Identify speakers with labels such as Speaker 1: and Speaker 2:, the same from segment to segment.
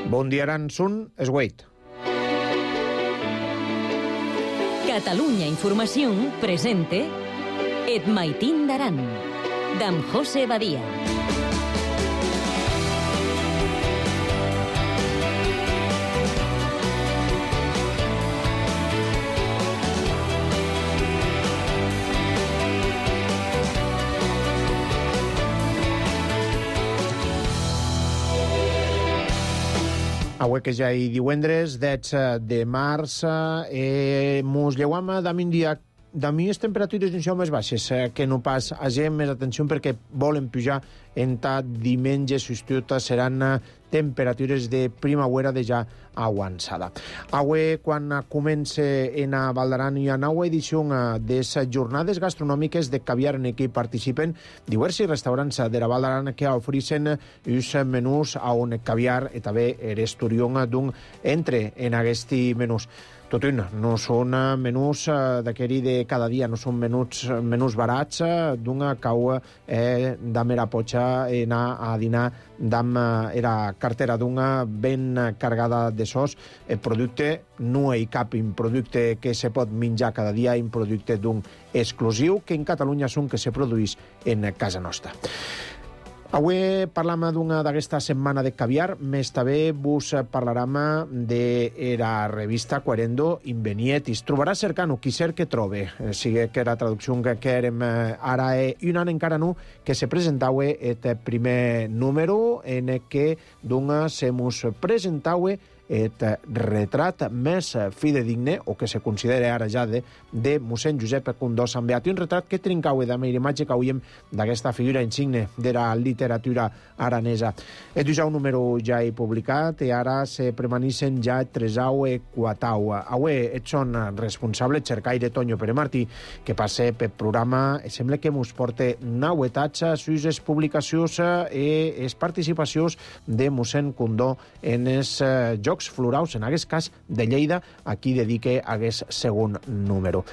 Speaker 1: Bon dia, Aransun, es Wade.
Speaker 2: Catalunya Información presente Et Maitín d'Aran, d'en José Badia.
Speaker 1: Avui que ja hi divendres, 10 de març, mos lleuam d'un dia d'ami les temperatures en més baixes que no pas agem més atenció perquè volen pujar en ta diumenge substituta seran temperatures de primavera de ja avançada. Avui, quan comença en a Val d'Aran i a nova edició de les jornades gastronòmiques de caviar en què participen diversos restaurants de la Val d'Aran que ofereixen els menús on caviar i també l'esturió d'un entre en aquests menús. Tot un, no són menús d'aquell de cada dia, no són menús barats d'una cau d'am era potxa anar a dinar d'am era cartera d'una ben cargada de sos. El producte no hi cap un producte que se pot menjar cada dia, un producte d'un exclusiu que en Catalunya són que se produeix en casa nostra. Avui parlam d'una d'aquesta setmana de caviar, més també vos parlarem de la revista Querendo Invenietis. Trobarà cercant-ho, qui cerca trobe. Sigue que la traducció que érem ara un any encara no, que se presentava el primer número en què se mos presentava el retrat més fidedigne, o que se considera ara ja de mossèn Josep Condó Sant Beat, un retrat que trincava de la imatge que hauríem d'aquesta figura insigne de la literatura aranesa. És ja un número ja he publicat i ara se permaneixen ja tresau i quatau. Avui són responsables Cercaire Toño Pere Martí, que passa pel programa i sembla que mos porta novetats sus les publicacions i les participacions de mossèn Condó en els Jocs Floraus, en aquest cas de Lleida, a qui dedique aquest segon número.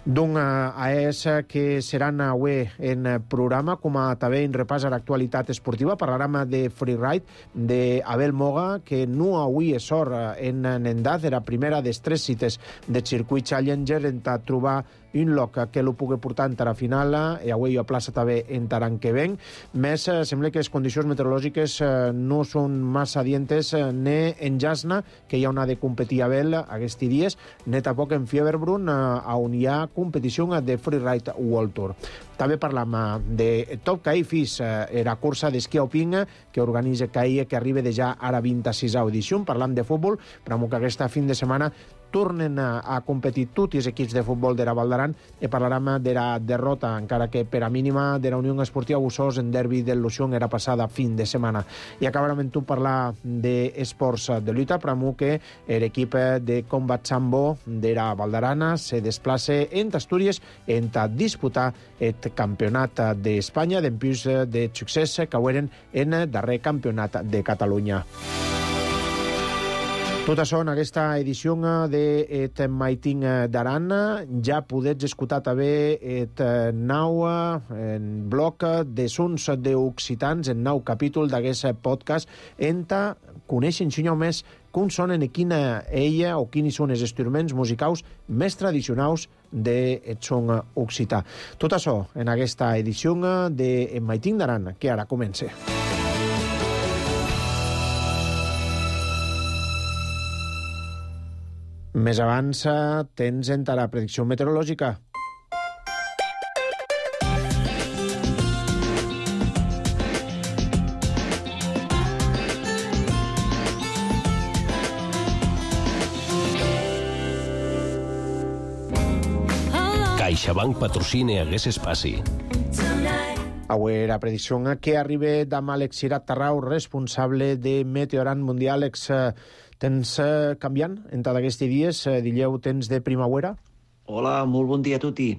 Speaker 1: Doncs és que seran avui en programa, com a també en repàs a l'actualitat esportiva, parlarem de freeride d'Abel Moga, que no avui és sort en Nendat, era primera de 3 cites de circuit Challenger, en trobar un lloc que lo pugui portar en la final i avui a plaça també en l'any que ven. Més, sembla que les condicions meteorològiques no són massa adientes ni en Jasna, que hi ha una de competir a Abel aquests dies, ni tampoc en Fieberbrunn, on hi ha competició de Freeride World Tour. També parlam de Top CAI FIS, la cursa d'esquí alpin que organitza CAI, que arriba de ja ara 26a edició. Parlam de futbol, però que aquesta fin de setmana tornen a competir tots els equips de futbol de la Val d'Aran i parlarem de la derrota, encara que per a mínima, de la Unió Esportiva Bussos en derbi del Lución era passada fin de setmana. I acabarem amb tu parlar d'esports de lluita, però que l'equip de Combat Sambo de la Val d'Aran se desplaça en Astúries en disputar el campionat d'Espanya d'empús de succés que eren en el darrer campionat de Catalunya. Tot això en aquesta edició de Et Maitín d'Aran. Ja podets escoltar també el nou bloc de sons d'occitans, el nou capítol d'aquest podcast, en conèixer ensenyar més com sonen i quina ella o quins són els instruments musicals més tradicionals del son occità. Tot això en aquesta edició de Et Maitín d'Aran, que ara comença. Més abans tens en la predicció meteorològica.
Speaker 3: CaixaBank patrocina aquest espai.
Speaker 1: Avui la predicció que arriba d'amb Àlex Cirat Tarrau, responsable de Meteoran Mundial. Àlex, tens canviant en tots aquests dies? Dileu temps de primavera?
Speaker 4: Hola, molt bon dia a tutti.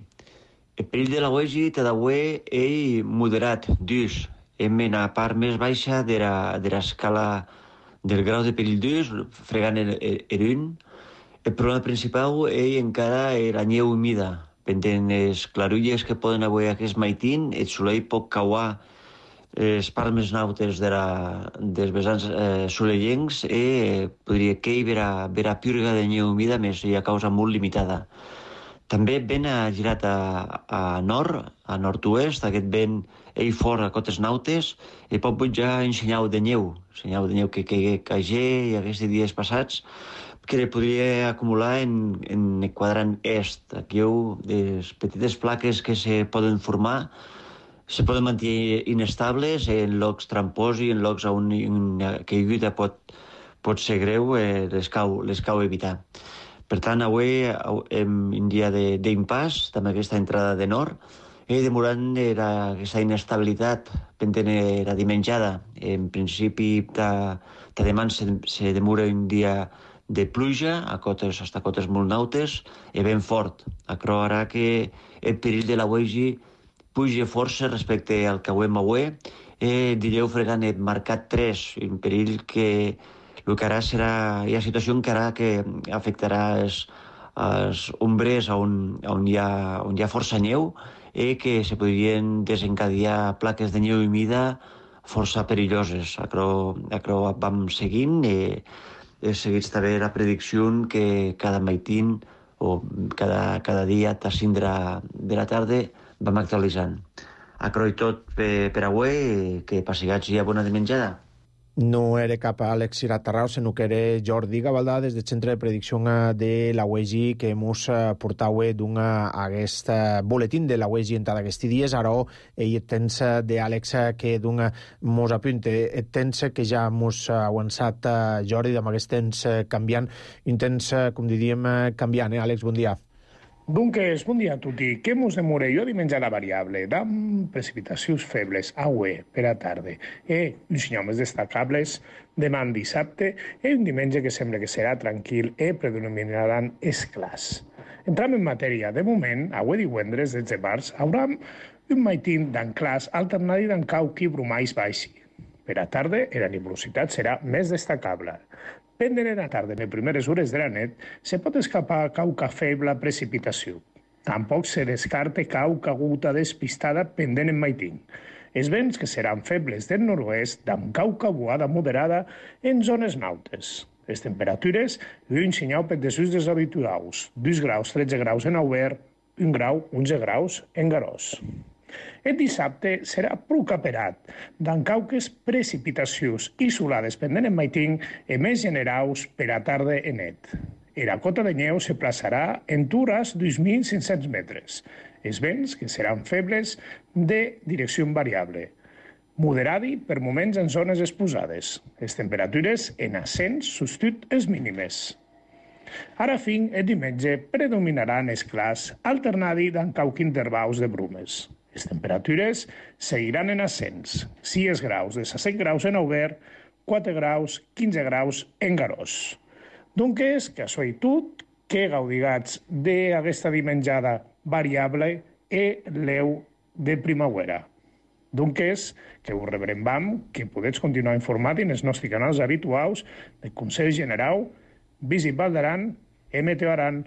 Speaker 4: El perill de la uegi d'avui és moderat, dus. Hem en la part més baixa de l'escala del grau de perill dus, fregant un. El problema principal és encara la neu humida. Pendent les clarulles que poden avui aquest maitín, el soleil pot cauar les parts més nautes dels vessants solellencs podria que hi vera purga de neu humida més hi ha causa molt limitada. També vent ha girat a nord-oest, aquest vent fort a cotes nautes, i pot pujar en senyal de neu que caigé i aquests dies passats, que podria acumular en el quadrant est. Aquí hi ha les petites plaques que se poden formar, se poden mantenir inestables en llocs tramposos i en llocs on una caiguda pot ser greu, les cau evitar. Per tant, avui hem un dia d'impàs, amb aquesta entrada de nord, demorant aquesta inestabilitat pendent la dimenjada. En principi, demà se demora un dia de pluja, hasta cotes molt nautes, vent fort. Però ara que el perill de la Uegi puja força respecte al que avui, direu fregant el marcat 3, un perill que el que ara serà la situació encara que afectarà els ombres on hi ha força neu que se podrien desencadenar plaques de neu humida força perilloses. Acro vam seguint seguits també la predicció que cada maitín o cada dia a 5 de la tarda vam actualitzant. Acro i tot per avui, que passigats hi ha bona de menjada.
Speaker 1: No era cap Àlex Iratarrau, sinó que era Jordi Gavaldà des del Centre de Predicció de la UEGI que mos portau aquest boletín de la UEGI en aquests dies. Ara ell tens d'Àlex que mos apunte. Tens que ja mos ha avançat Jordi amb aquest temps canviant. Un temps, com diríem, canviant, Àlex? Bon dia.
Speaker 5: Doncs, bon dia a tutti. Què mos demora jo dimenjar la variable? Dam precipitacions febles, aue, per a tarda. Uns senyals destacables demà dissabte un diumenge que sembla que serà tranquil predominaran esclars. Entram en matèria. De moment, avui divendres, 10 de març, hauram un maitín d'anclars alternat d'encauqui brumais baixi. Per a tarda, la nebulositat serà més destacable. Pendent en la tarda, en les primeres hores de la nit, se pot escapar cauca feble precipitació. Tampoc se descarta cauca guta despistada pendent en maitín. Els vents que seran febles del nord-oest, amb cauca boada moderada en zones nautes. Les temperatures, un senyal per desús dels habituals, 2 graus, 13 graus en Aubert, 1 grau, 11 graus en Garòs. El dissabte serà prou caperat, d'encauques precipitacions isolades pendent en maitín i més generals per a tarda en net. La cota de neu se plaçarà en tures d'2.500 metres. Els vents, que seran febles, de direcció variable. Moderadi per moments en zones exposades. Les temperatures en ascens substitut les mínimes. Ara fin, el diumenge predominaran esclars alternats d'encauc intervals de brumes. Les temperatures seguiran en ascens, 6 graus de 7 graus en Aubert, 4 graus, 15 graus en Garòs. Doncs, que això i tot, que gaudigats d'aquesta dimenjada variable l'eu de primavera. Doncs, que us rebrem, que podeu continuar informat en els nostres canals habituals del Consell General, Visit Val d'Aran, Meteo Aran.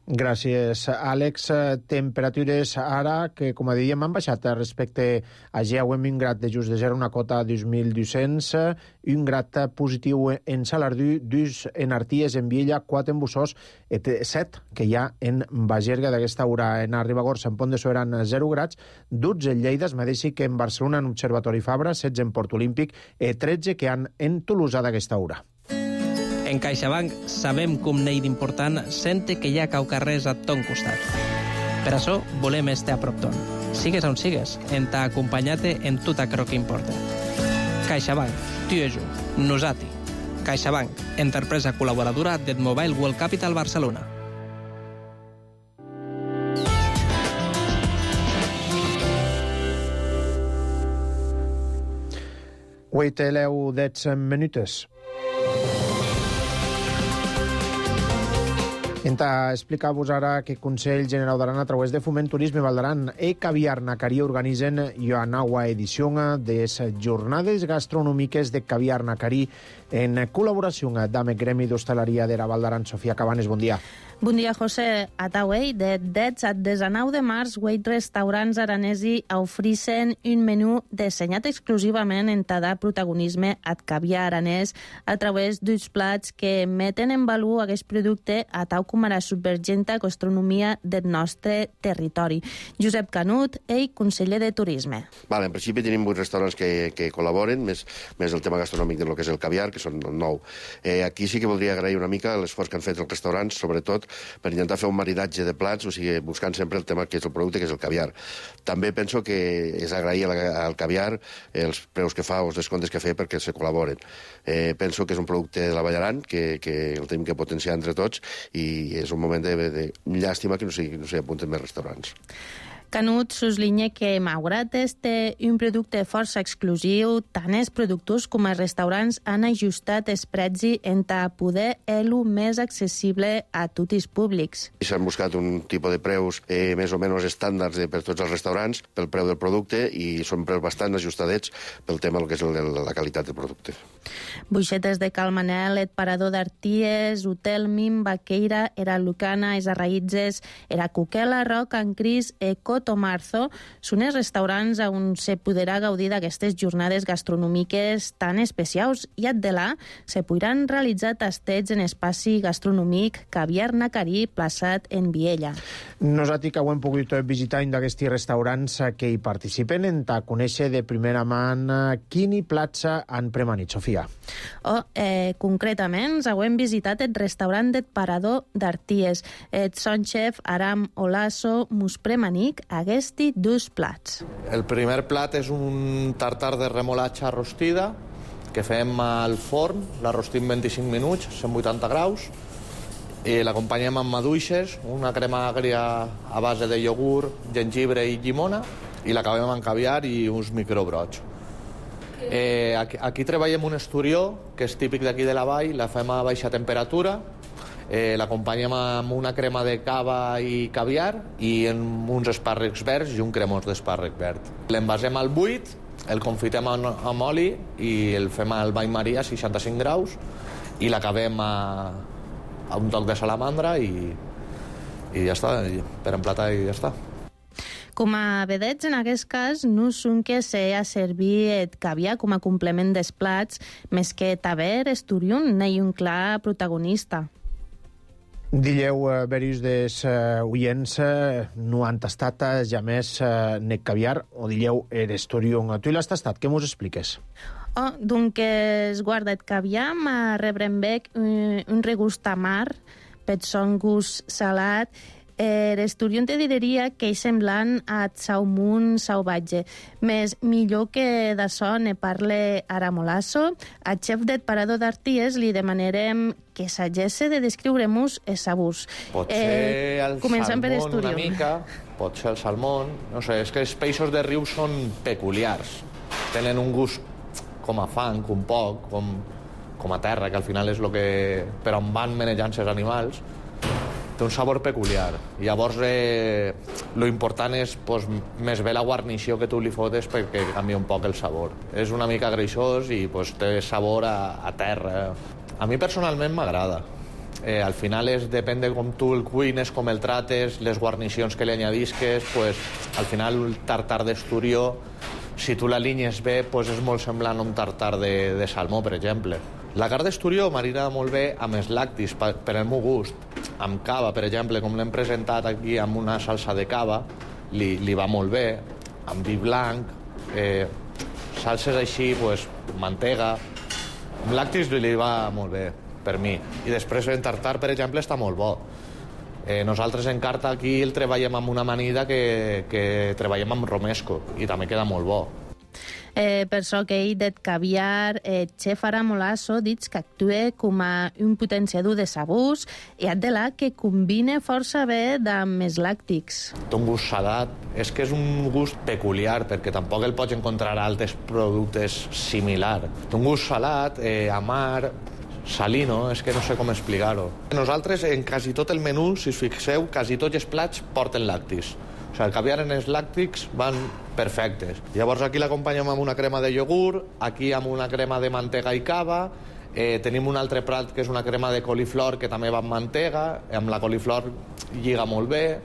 Speaker 1: Gràcies, Àlex. Temperatures ara que, com dèiem, han baixat respecte a ja un grat de just de 0, una cota de 2.200, un grat positiu en Salardú, 2 en Arties, en Viella, 4 en Bussós, 7 que hi ha en Bagerga d'aquesta hora. En Ribagorça, en Pont de Suert, 0 grats, 12 en Lleida, es mateixi que en Barcelona, en Observatori Fabra, 16 en Port Olímpic, 13 que han en Tolosa d'aquesta hora.
Speaker 6: En CaixaBank sabem com n'hi d'important sente que hi ha caucarrers a ton costat. Per això volem estar a prop ton. Sigues on sigues, en t'ha acompanyat en tot aquello que importa. CaixaBank, tu i jo, nosati. CaixaBank, empresa col·laboradora del Mobile World Capital Barcelona.
Speaker 1: Avui té 10 minutes. Enta explicar-vos ara que Consell Generau d'Aran a través de Foment Turisme Val d'Aran e Caviar Nacarí organitzen la nova edició de les jornades gastronòmiques de Caviar Nacarí en col·laboració amb el Gremi d'Hostaleria de la Val d'Aran. Sofia Cabanes, bon dia.
Speaker 7: Bon dia, José. Atauei, de 10 a 19 de març, 8 restaurants aranesi ofereixen un menú dissenyat exclusivament en tada protagonisme ad caviar aranès a través d'uns plats que meten en valor aquest producte a tau com a la subvergenta gastronomia del nostre territori. Josep Canut, ell, conseller de Turisme.
Speaker 8: En principi tenim 8 restaurants que col·laboren, més el tema gastronòmic de lo que és el caviar, que són 9. Aquí sí que voldria agrair una mica l'esforç que han fet els restaurants, sobretot per intentar fer un maridatge de plats, o sigui, buscant sempre el tema que és el producte, que és el caviar. També penso que és agrair al caviar els preus que fa o els descomptes que fa perquè se col·laboren. Penso que és un producte de la Vall d'Aran, que el tenim que potenciar entre tots, i és un moment de llàstima que no s'hi apunten més restaurants.
Speaker 7: Canut suslinya que, malgrat té un producte força exclusiu, tant els productors com els restaurants han ajustat els precis en poder fer-lo més accessible a tots els públics.
Speaker 8: S'han buscat un tipus de preus més o menys estàndards per tots els restaurants pel preu del producte i són preus bastant ajustadets pel tema que és la qualitat del producte.
Speaker 7: Buixetes de Cal Manel, el Parador d'Arties, Hotel Mim, Baqueira, Era Lucana, Es Arraïtzes, Era Cuquela, Roc, en Cris, Coto Marzo, són els restaurants on se podrà gaudir d'aquestes jornades gastronòmiques tan especials i addelà se podran realitzar tastets en espaci gastronòmic Caviar Nacarí, plaçat en Viella.
Speaker 1: Nosaltres que ho hem pogut visitar un d'aquests restaurants que hi participen en conèixer de primera mà quin plats han premanit, Sofia.
Speaker 7: Concretament, ho hem visitat el restaurant del Parador d'Arties. El son chef Aram Olaso mos premanic aquests dos plats.
Speaker 9: El primer plat és un tartar de remolatxa rostida que fem al forn, la rostim 25 minuts, 180 graus, i l'acompanyem amb maduixes, una crema agria a base de iogurt, gengibre i llimona, i l'acabem amb caviar i uns microbrots. Aquí treballem un esturió, que és típic d'aquí de la vall, la fem a baixa temperatura, l'acompanyem amb una crema de cava i caviar i amb uns espàrrecs verds i un cremós d'espàrrec verd. L'envasem al buit, el confitem amb oli i el fem al bany maria a 65 graus i l'acabem a un toc de salamandra i ja està, per emplatar i ja està.
Speaker 7: Com a vedets, en aquest cas, no són que s'ha servir el caviar com a complement dels plats, més que taver esturiun n'hi un clar protagonista.
Speaker 1: Dilleu, verius dels oients, no han tastat ja més net caviar, o dilleu esturiun. Tu l'has tastat, què mos expliques?
Speaker 7: Doncs es guarda el caviar, ma rebrem bec un regust amar, per son gust salat. L'esturion te diria que és semblant a salmón salvatge, més millor que d'açò ne parle Aram Olaso. Al xef del Parador d'Arties li demanarem que s'agesse de descriure-nos els sabors.
Speaker 9: Pot ser el salmón una mica, pot ser el salmón, no sé, és que els peixos de riu són peculiars, tenen un gust com a fang, un poc, com a terra, que al final és el que per on van manejant els animals. Té un sabor peculiar. Llavors, lo important és més bé la guarnició que tu li fotes perquè canvia un poc el sabor. És una mica greixós i té sabor a terra. A mi personalment m'agrada. Al final depèn de com tu el cuines, com el trates, les guarnicions que li añadisques, al final el tartar d'esturió, si tu l'alinyes bé, és molt semblant a un tartar de salmó, per exemple. La carn d'esturió marina molt bé amb els lactis, per el meu gust. Amb cava, per exemple, com l'hem presentat aquí amb una salsa de cava, li va molt bé. Amb vi blanc, salses així, mantega. Amb lactis li va molt bé, per mi. I després en tartar, per exemple, està molt bo. Nosaltres en carta aquí el treballem amb una amanida que treballem amb romesco i també queda molt bo.
Speaker 7: Per això que ell del caviar, xef Aram Olaso, dic que actua com a un potenciador de sabors i adela que combina força bé amb els làctics.
Speaker 9: Té un gust salat, és que és un gust peculiar perquè tampoc el pots encontrar a altres productes similars. Té un gust salat, amar, salino, és que no sé com explicar-ho. Nosaltres, en quasi tot el menú, si us fixeu, quasi tots els plats porten lactis. O sigui, el caviar en els làctics van perfectes. Llavors aquí l'acompanyem amb una crema de iogurt, aquí amb una crema de mantega i cava, tenim un altre plat que és una crema de coliflor que també va amb mantega, amb la coliflor lliga molt bé,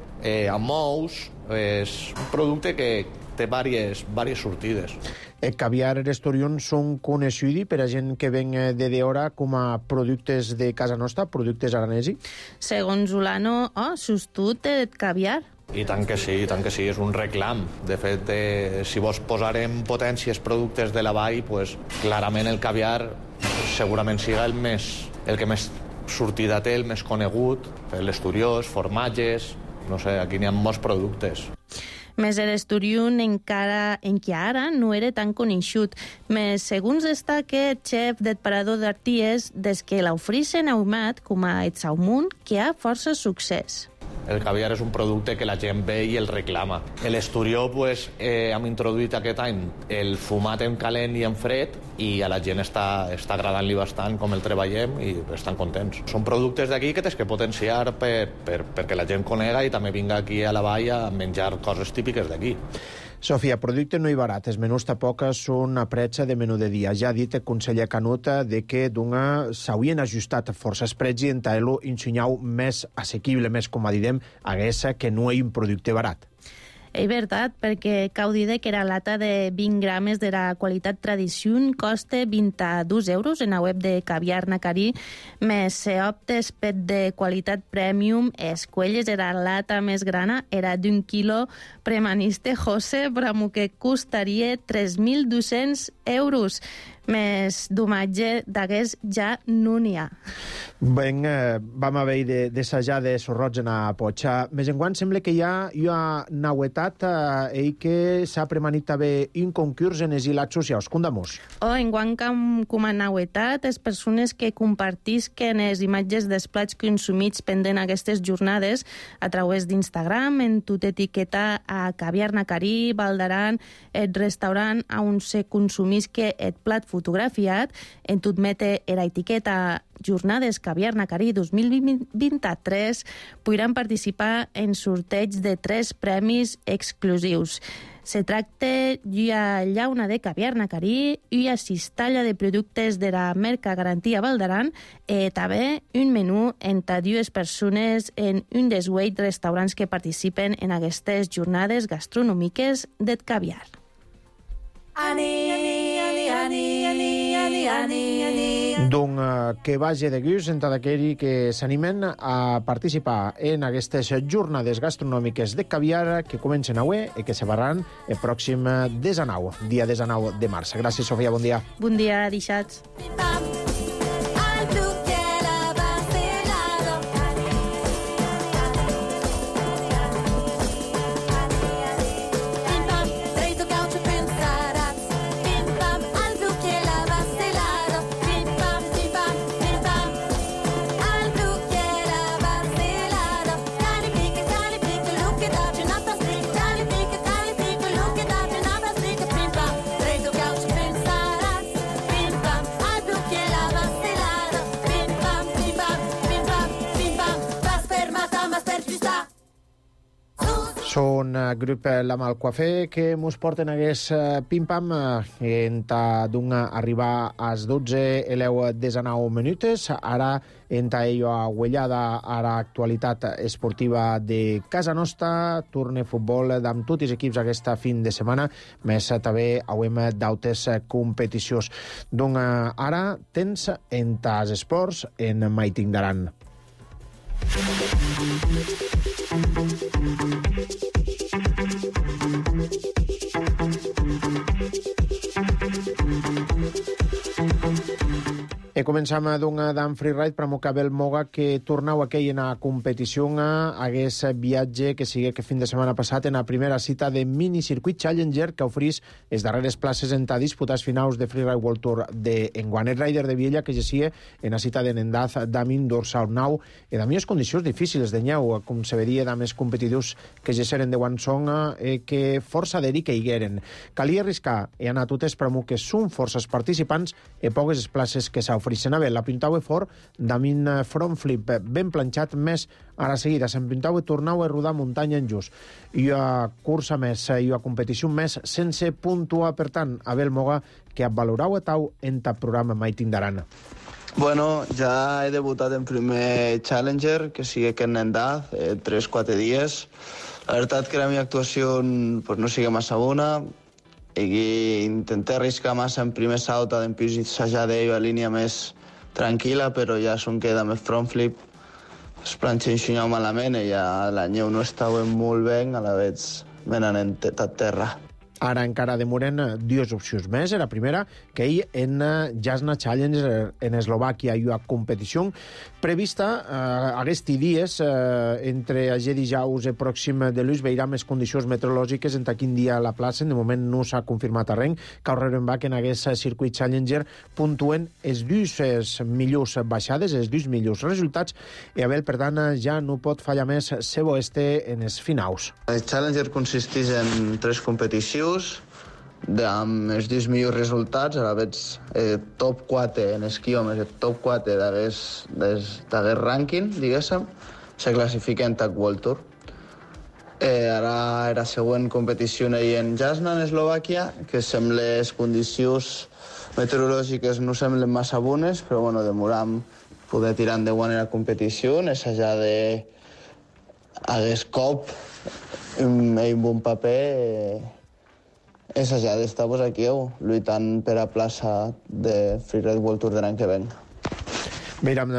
Speaker 9: amb ous, és un producte que té diverses sortides.
Speaker 1: El caviar i restaurants són coneguts per a gent que ven de d'hora com a productes de casa nostra, productes aranesi?
Speaker 7: Segons Ulano, sustut el caviar.
Speaker 9: I tant que sí, és un reclam. De fet, si vos posarem potències productes de la vall, pues, clarament el caviar segurament siga el que més sortida té, el més conegut, l'esturiós, formatges, no sé, aquí n'hi ha molts productes.
Speaker 7: Més l'esturiun encara ara no era tan conegut. Més segons destaca el xef del parador d'Arties, des que l'ofricen ahumat com a el salmón, que ha força succés.
Speaker 9: El caviar és un producte que la gent ve i el reclama. L'esturió, pues, hem introduït aquest any el fumat en calent i en fred i a la gent està agradant-li bastant com el treballem i estan contents. Són productes d'aquí que tens que potenciar perquè la gent conega i també vinga aquí a la vall a menjar coses típiques d'aquí.
Speaker 1: Sofia, producte no i barat. Els menús tampoc són a pretxa de menú de dia. Ja ha dit el conseller Canut de que s'haurien ajustat força els preus i en tal·lo ensenyau més assequible, més com a direm, hagués que no hi un producte barat.
Speaker 7: És veritat, perquè cau dir que la lata de 20 grames de la qualitat tradició costa 22 euros en la web de Caviar Nacarí, més se optes per de qualitat premium, escuelles era la lata més grana, era d'un quilo premaniste José, però que costaria 3.200 euros. Més d'homatge d'aquest ja no n'hi ha.
Speaker 1: Ben, vam haver d'assajar de sorroig en a potxa. Més enguant sembla que hi ha nauetat que s'ha premanit també un concurs en els hilats socials. Condamos.
Speaker 7: Enguant com a nauetat, les persones que compartisquen les imatges dels plats consumits pendent aquestes jornades a través d'Instagram, en tot etiqueta a Caviar Nacarí, Valdaran, el restaurant on se consumisque el plat fotografiat, en tot mete la etiqueta Jornades Caviar Nacarí 2023, podran participar en sorteig de 3 premis exclusius. Se tracta d'una llauna de caviar nacarí, una cistalla de productes de la marca Garantia Valdaran i també un menú entre 2 persones en un dels 8 restaurants que participen en aquestes jornades gastronòmiques del caviar.
Speaker 1: Donc, que vagi de gust entre aquells que s'animen a participar en aquestes jornades gastronòmiques de caviar que comencen avui i que se faran el pròxim 19, dia 19 de març. Gràcies, Sofia, bon dia.
Speaker 7: Bon dia, deixats.
Speaker 1: Són grup La Malcoafé que mos porten hagués pim-pam arribar als 12 i 19 minutes. Ara entra ello a Huellada a l'actualitat esportiva de casa nostra. Torne futbol amb tots els equips aquesta fin de setmana, més també hauem d'altres competicions. Donc ara tens entre els esports en Maiting d'Aran. Començam d'en freeride per Mocabel Moga que tornau aquell en la competició hagués viatge que sigui que fin de setmana passat en la primera cita de minicircuit Challenger que oferís les darreres places en disputats finals de Freeride World Tour d'enguant. El rider de Viella que gessia en la cita de Nendaz d'Amin dorsal 9 i de més condicions difícils de nyeu, com se veria de més competitius que gesseren de Guansong que força d'eri que higueren. Calia arriscar i anar a totes per que són forces participants i poques places que s'oferien Frisenave. La pintava fort, damin front flip ben planxat, més a la seguida se'n pintava i tornava a rodar muntanya en just. I a cursa més, i a competició més, sense puntuar, per tant, Abel Moga, que valorava tau en el programa Mai Tindaran.
Speaker 10: Bueno, ja he debutat en primer Challenger, que sigui aquest Nendaz, 3-4 dies. La veritat que la meva actuació pues, no sigui massa bona, i intenté arriscar massa en primer salt, després assajar d'ell a línia més tranquil·la, però ja s'on queda més front flip. Es planxa enxunyau malament i ja la neu no estava molt bé, a la vez me n'han a terra.
Speaker 1: Ara encara demoren dues opcions més. La primera, que ell en Jasna Challenger en Eslovàquia hi ha competició prevista aquests dies entre aquest dijous pròxim de Luis veurà més condicions meteorològiques en quin dia la plaça. De moment no s'ha confirmat arrenc. Caurreren va que en aquest circuit Challenger puntuen els dues millors baixades, els dues millors resultats, i Abel, per tant, ja no pot fallar més seu este en els finals.
Speaker 10: El Challenger consisteix en 3 competicions amb els 10 millors resultats, a la vez top 4 en esquiomes, el top 4 d'aquest rànquing, diguéssim, se classifiquen en World Tour. Ara la següent competició en Jasna, en Eslovàquia, que sembla les condicions meteorològiques no semblen massa bones, però bueno, demoram poder tirar endavant la competició, assajar de hagués cop amb un bon paper, assajar d'estar aquí lluitant per a plaça de Freeride World Tour de l'any que ven.
Speaker 1: Mira'm,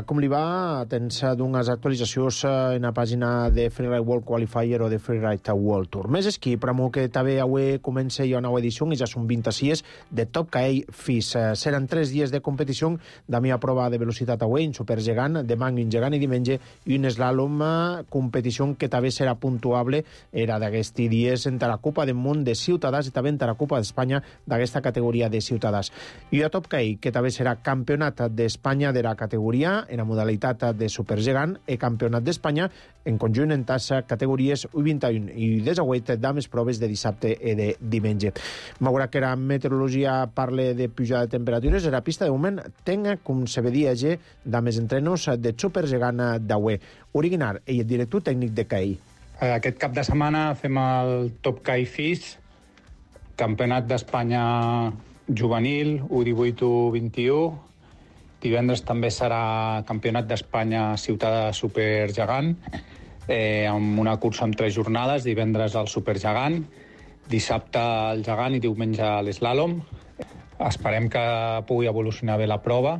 Speaker 1: com li va? Tens d'unes actualitzacions en la pàgina de Freeride World Qualifier o de Freeride World Tour. Més esquí, però que també avui comença una nova edició i ja són 26 de Top Caell FIS. Seran 3 dies de competició, de mi a prova de velocitat avui, en supergegant, demà en gegant i diumenge, i un slalom, competició que també serà puntuable, era d'aquests dies entre la Copa del Món de Ciutadans i també entre la Copa d'Espanya d'aquesta categoria de Ciutadans. I a Top Caell, que també serà campionat d'Espanya de la categoria en la modalitat de supergegant i campionat d'Espanya en conjunt en tassa categories U21 i desauet dames proves de dissabte i de diumenge. M'agrada que la meteorologia parle de pujada de temperatures, la pista de moment tenga, com se vedia ja, dames entrenos de supergegant d'Aue. Origuinar, ell és director tècnic de CAI.
Speaker 11: Aquest cap de setmana fem el Top CAI FIS, campionat d'Espanya juvenil, U18, U21. Divendres també serà campionat d'Espanya Ciutadà Supergegant, amb una cursa amb 3 jornades, divendres el Supergegant, dissabte el gegant i diumenge l'eslàlom. Esperem que pugui evolucionar bé la prova.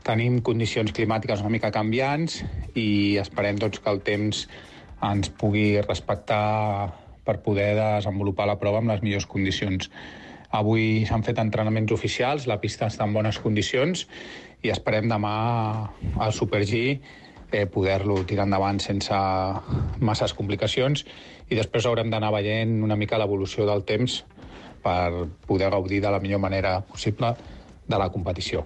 Speaker 11: Tenim condicions climàtiques una mica canviants i esperem que el temps ens pugui respectar per poder desenvolupar la prova amb les millors condicions. Avui s'han fet entrenaments oficials, la pista està en bones condicions i esperem demà al Super G poder-lo tirar endavant sense masses complicacions i després haurem d'anar veient una mica l'evolució del temps per poder gaudir de la millor manera possible de la competició.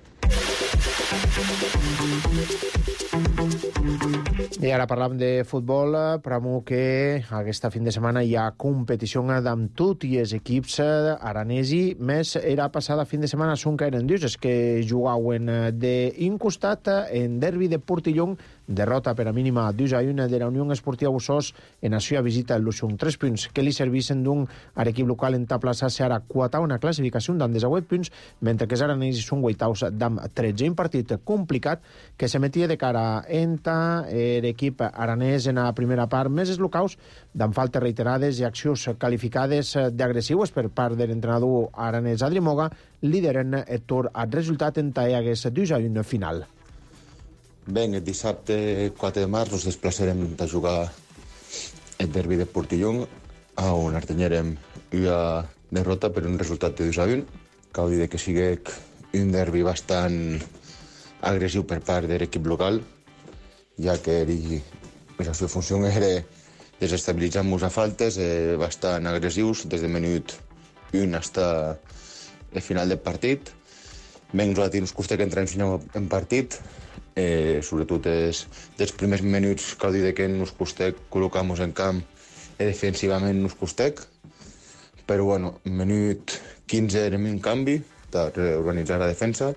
Speaker 1: I ara parlam de futbol, però que aquesta fin de setmana hi ha competició amb tots els equips aranesi, més era passada fin de setmana són que eren dius, que jugaven d'un costat en derbi de Portillon, derrota per a mínima 2-1 de la Unió Esportiva Bussos en la seva visita al Luxung. 3 punts que li servissen d'un a l'equip local en taplaçar-se ara quatau una classificació d'en 18 punts, mentre que els aranesis són guaitaus d'am 13. Un partit complicat que se metia de cara entre l'equip aranès en la primera part, més els locals d'en faltes reiterades i accions qualificades d'agressius per part de l'entrenador aranès Adri Moga, lideren el tour al resultat en hagués 2-1 final.
Speaker 12: Bé, el dissabte 4 de març ens desplaçarem a jugar el derbi de Portillon, on artenyerem una derrota per un resultat de 2-1. Cal dir que sigui un derbi bastant agressiu per part de l'equip local, ja que la seva funció era desestabilitzar-nos a faltes bastant agressius des del minut 1 fins al final del partit. Bé, nosaltres ens costa que entrem en partit, sobretot dels primers minuts cal dir que nos costec col·locar-nos en camp i defensivament nos costec, però bueno, minut 15 érem un canvi per organitzar la defensa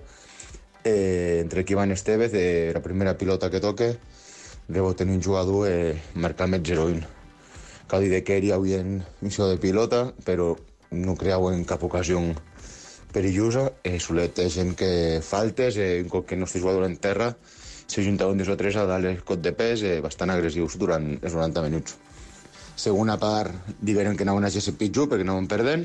Speaker 12: entre Ivan Estevez, la primera pilota que toque, debo tenir un jugador marcar més 0-1. Cal dir que ell havia en missió de pilota, però no creava en cap ocasió perillosa. Solet és gent que faltes, un cop que el nostre jugador en terra, s'ajuntaven 2 o 3 a dalt el cot de pes, bastant agressius durant els 90 minuts. Segona part, digueren que anaven a ser pitjor perquè anaven perdent,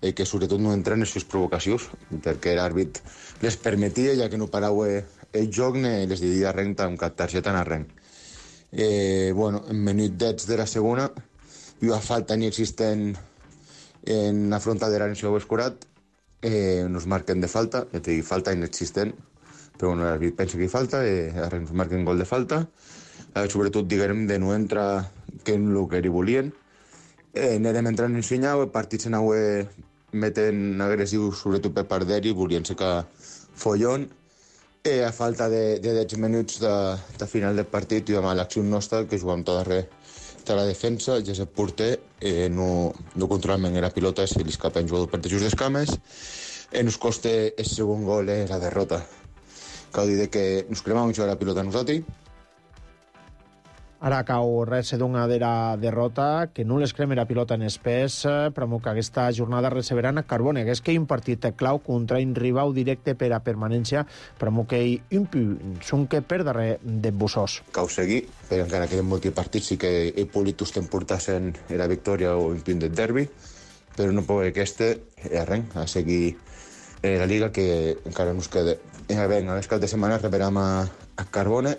Speaker 12: que sobretot no entren en les provocacions, perquè l'àrbit les permetia, ja que no parava el joc, ni les diria res amb cap targeta en arrenc. En minut 10 de la segona, hi ha falta inexistent en la frontadera en seu escurat, nos marquen de falta, és a dir, falta inexistent, però l'àrbit pensa que hi falta, ens marquen gol de falta, sobretot diguem de no entrar que és el que hi volien. Anem entrant en senyal, el partit s'anava metent agressius, sobretot per part d'ell, volien secar follon. A falta de 10 minuts de final del partit, hi ha l'acció nostra, que jugàvem tot darrere de la defensa, ja és el porter, no controlament la pilota, se li escapa un jugador per de just d'escames, ens costa el segon gol, la derrota. Cal dir que ens cremava mucho la pilota a nosaltres.
Speaker 1: Ara cau res d'una de la derrota, que no les crema la pilota en espès, però que aquesta jornada receberan a Carbone, que és que hi ha un partit clau contra un rival directe per a permanència, però que hi són que per darrere de Bussós.
Speaker 12: Cau seguir, però encara queden molts partits, sí que he polit portar-se'n la victòria o un punt del derbi, però no pot aquesta, a seguir la Liga, que encara no es queda. A les cap de setmana rebrem a Carbone,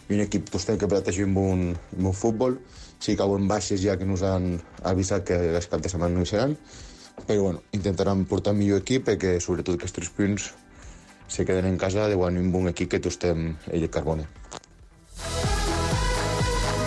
Speaker 12: un equip que planteja un bon futbol. Sí que cauen baixes ja que nos han avisat que les cap de setmana no hi seran, però intentaran portar millor equip i que sobretot aquests 3 punts se queden en casa de un bon equip que estem el Carbone.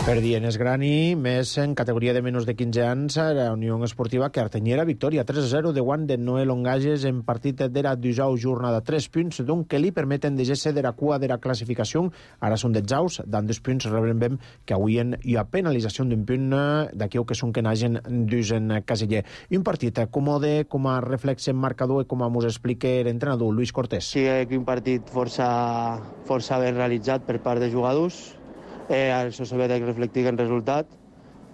Speaker 1: Per Dienes Grani, més en categoria de menys de 15 anys, la Unió Esportiva Cartanyera, victòria 3-0 de guant de Noel Ongages en partit de la 12a jornada. 3 punts, doncs, que li permeten deixar-se de la cua de la classificació. Ara són 18, dan 2 punts, rebrem que avui hi ha penalització d'un punt d'aquí que són que n'hagin dus en caseller. Un partit còmode, com a reflex en marcador i com mos explica l'entrenador Luis Cortés.
Speaker 13: Sí, un partit força ben realitzat per part de jugadors. Això s'ha de reflectir en resultat.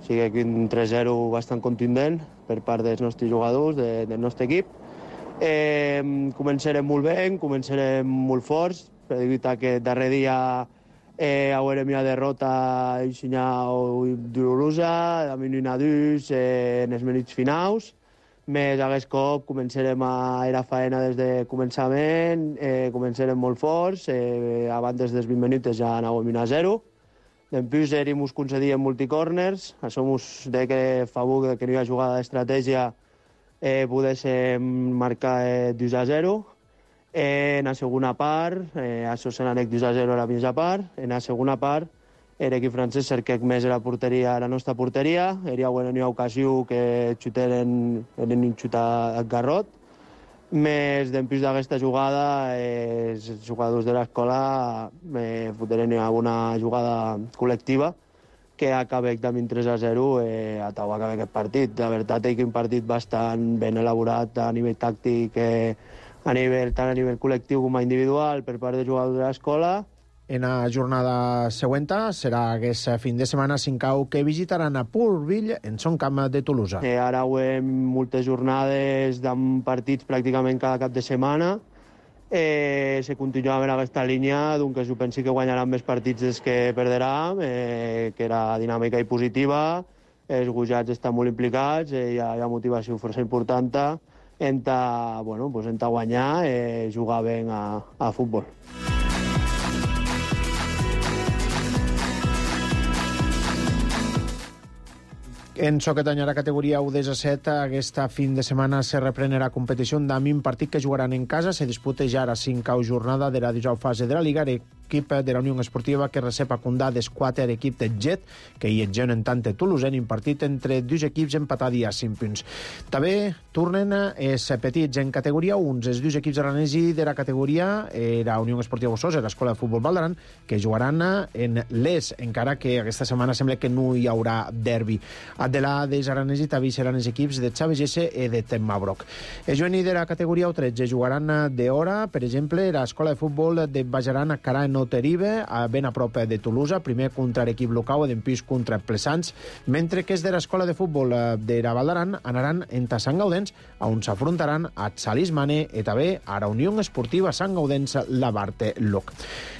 Speaker 13: O sigui, un 3-0 bastant contundent per part dels nostres jugadors, del nostre equip. Començarem molt bé, començarem molt forts, per evitar que darrer dia haurem una derrota dolorosa, a mi una dus en els minuts finals. Més aquest cop començarem a la faena des de començament, començarem molt forts, abans dels 20 minuts ja anàvem 1-0. Després ens concedien multicorners, això ens deia que favor que no hi ha jugada d'estratègia poguéssim marcar 2-0. En la segona part, això se n'anec 2-0 a la mitja part, en la segona part l'equip francès cerquec més la nostra porteria, hi ha una ocasió que xuteren un xut al garrot. Més després d'aquesta jugada, els jugadors de l'escola foteren una jugada col·lectiva que acaba amb 3-0 a acabar aquest partit. La veritat és que un partit bastant ben elaborat a nivell tàctic, tant a nivell col·lectiu com a individual per part dels jugadors de l'escola.
Speaker 1: En la jornada següent serà aquest fin de setmana Sincau que visitaran a Pourville en son camp de Tolosa.
Speaker 13: Ara hem moltes jornades amb partits pràcticament cada cap de setmana. Se continua amb aquesta línia, doncs jo penso que guanyaran més partits dels que perdran, que era dinàmica i positiva. Els gujats estan molt implicats, hi ha motivació força important en guanyar i jugar bé a futbol.
Speaker 1: En Soquetanyà, categoria U17, aquesta fin de setmana se reprèn la competició d'AMIM, partit que jugaran en casa, se disputa ja la 5a jornada de la 19a fase de la Liga, equip de la Unió Esportiva que recep a Condà d'Esquater, equip de Jet, que hi etgen en tant de Toulouse, en partit entre dos equips empatats a 5 punts. També tornen els petits en categoria 1, els dos equips aranesi de la categoria la Unió Esportiva Bossós i l'Escola de Futbol Val d'Aran, que jugaran en l'ES, encara que aquesta setmana sembla que no hi haurà derbi. De la dels aranesi també seran els equips de Chaves Gesse i de Temmabrok. Els juvenils de la categoria 13 jugaran d'hora, per exemple, l'escola de futbol de Bajaran a Carà en Oteribe, ben a prop de Tolosa, primer contra l'equip local i d'empís contra Plessans, mentre que els de l'escola de futbol de la Val d'Aran anaran en Sant Gaudens, on s'afrontaran a Salismane i també a la Unió Esportiva Sant Gaudens la Barte Loc.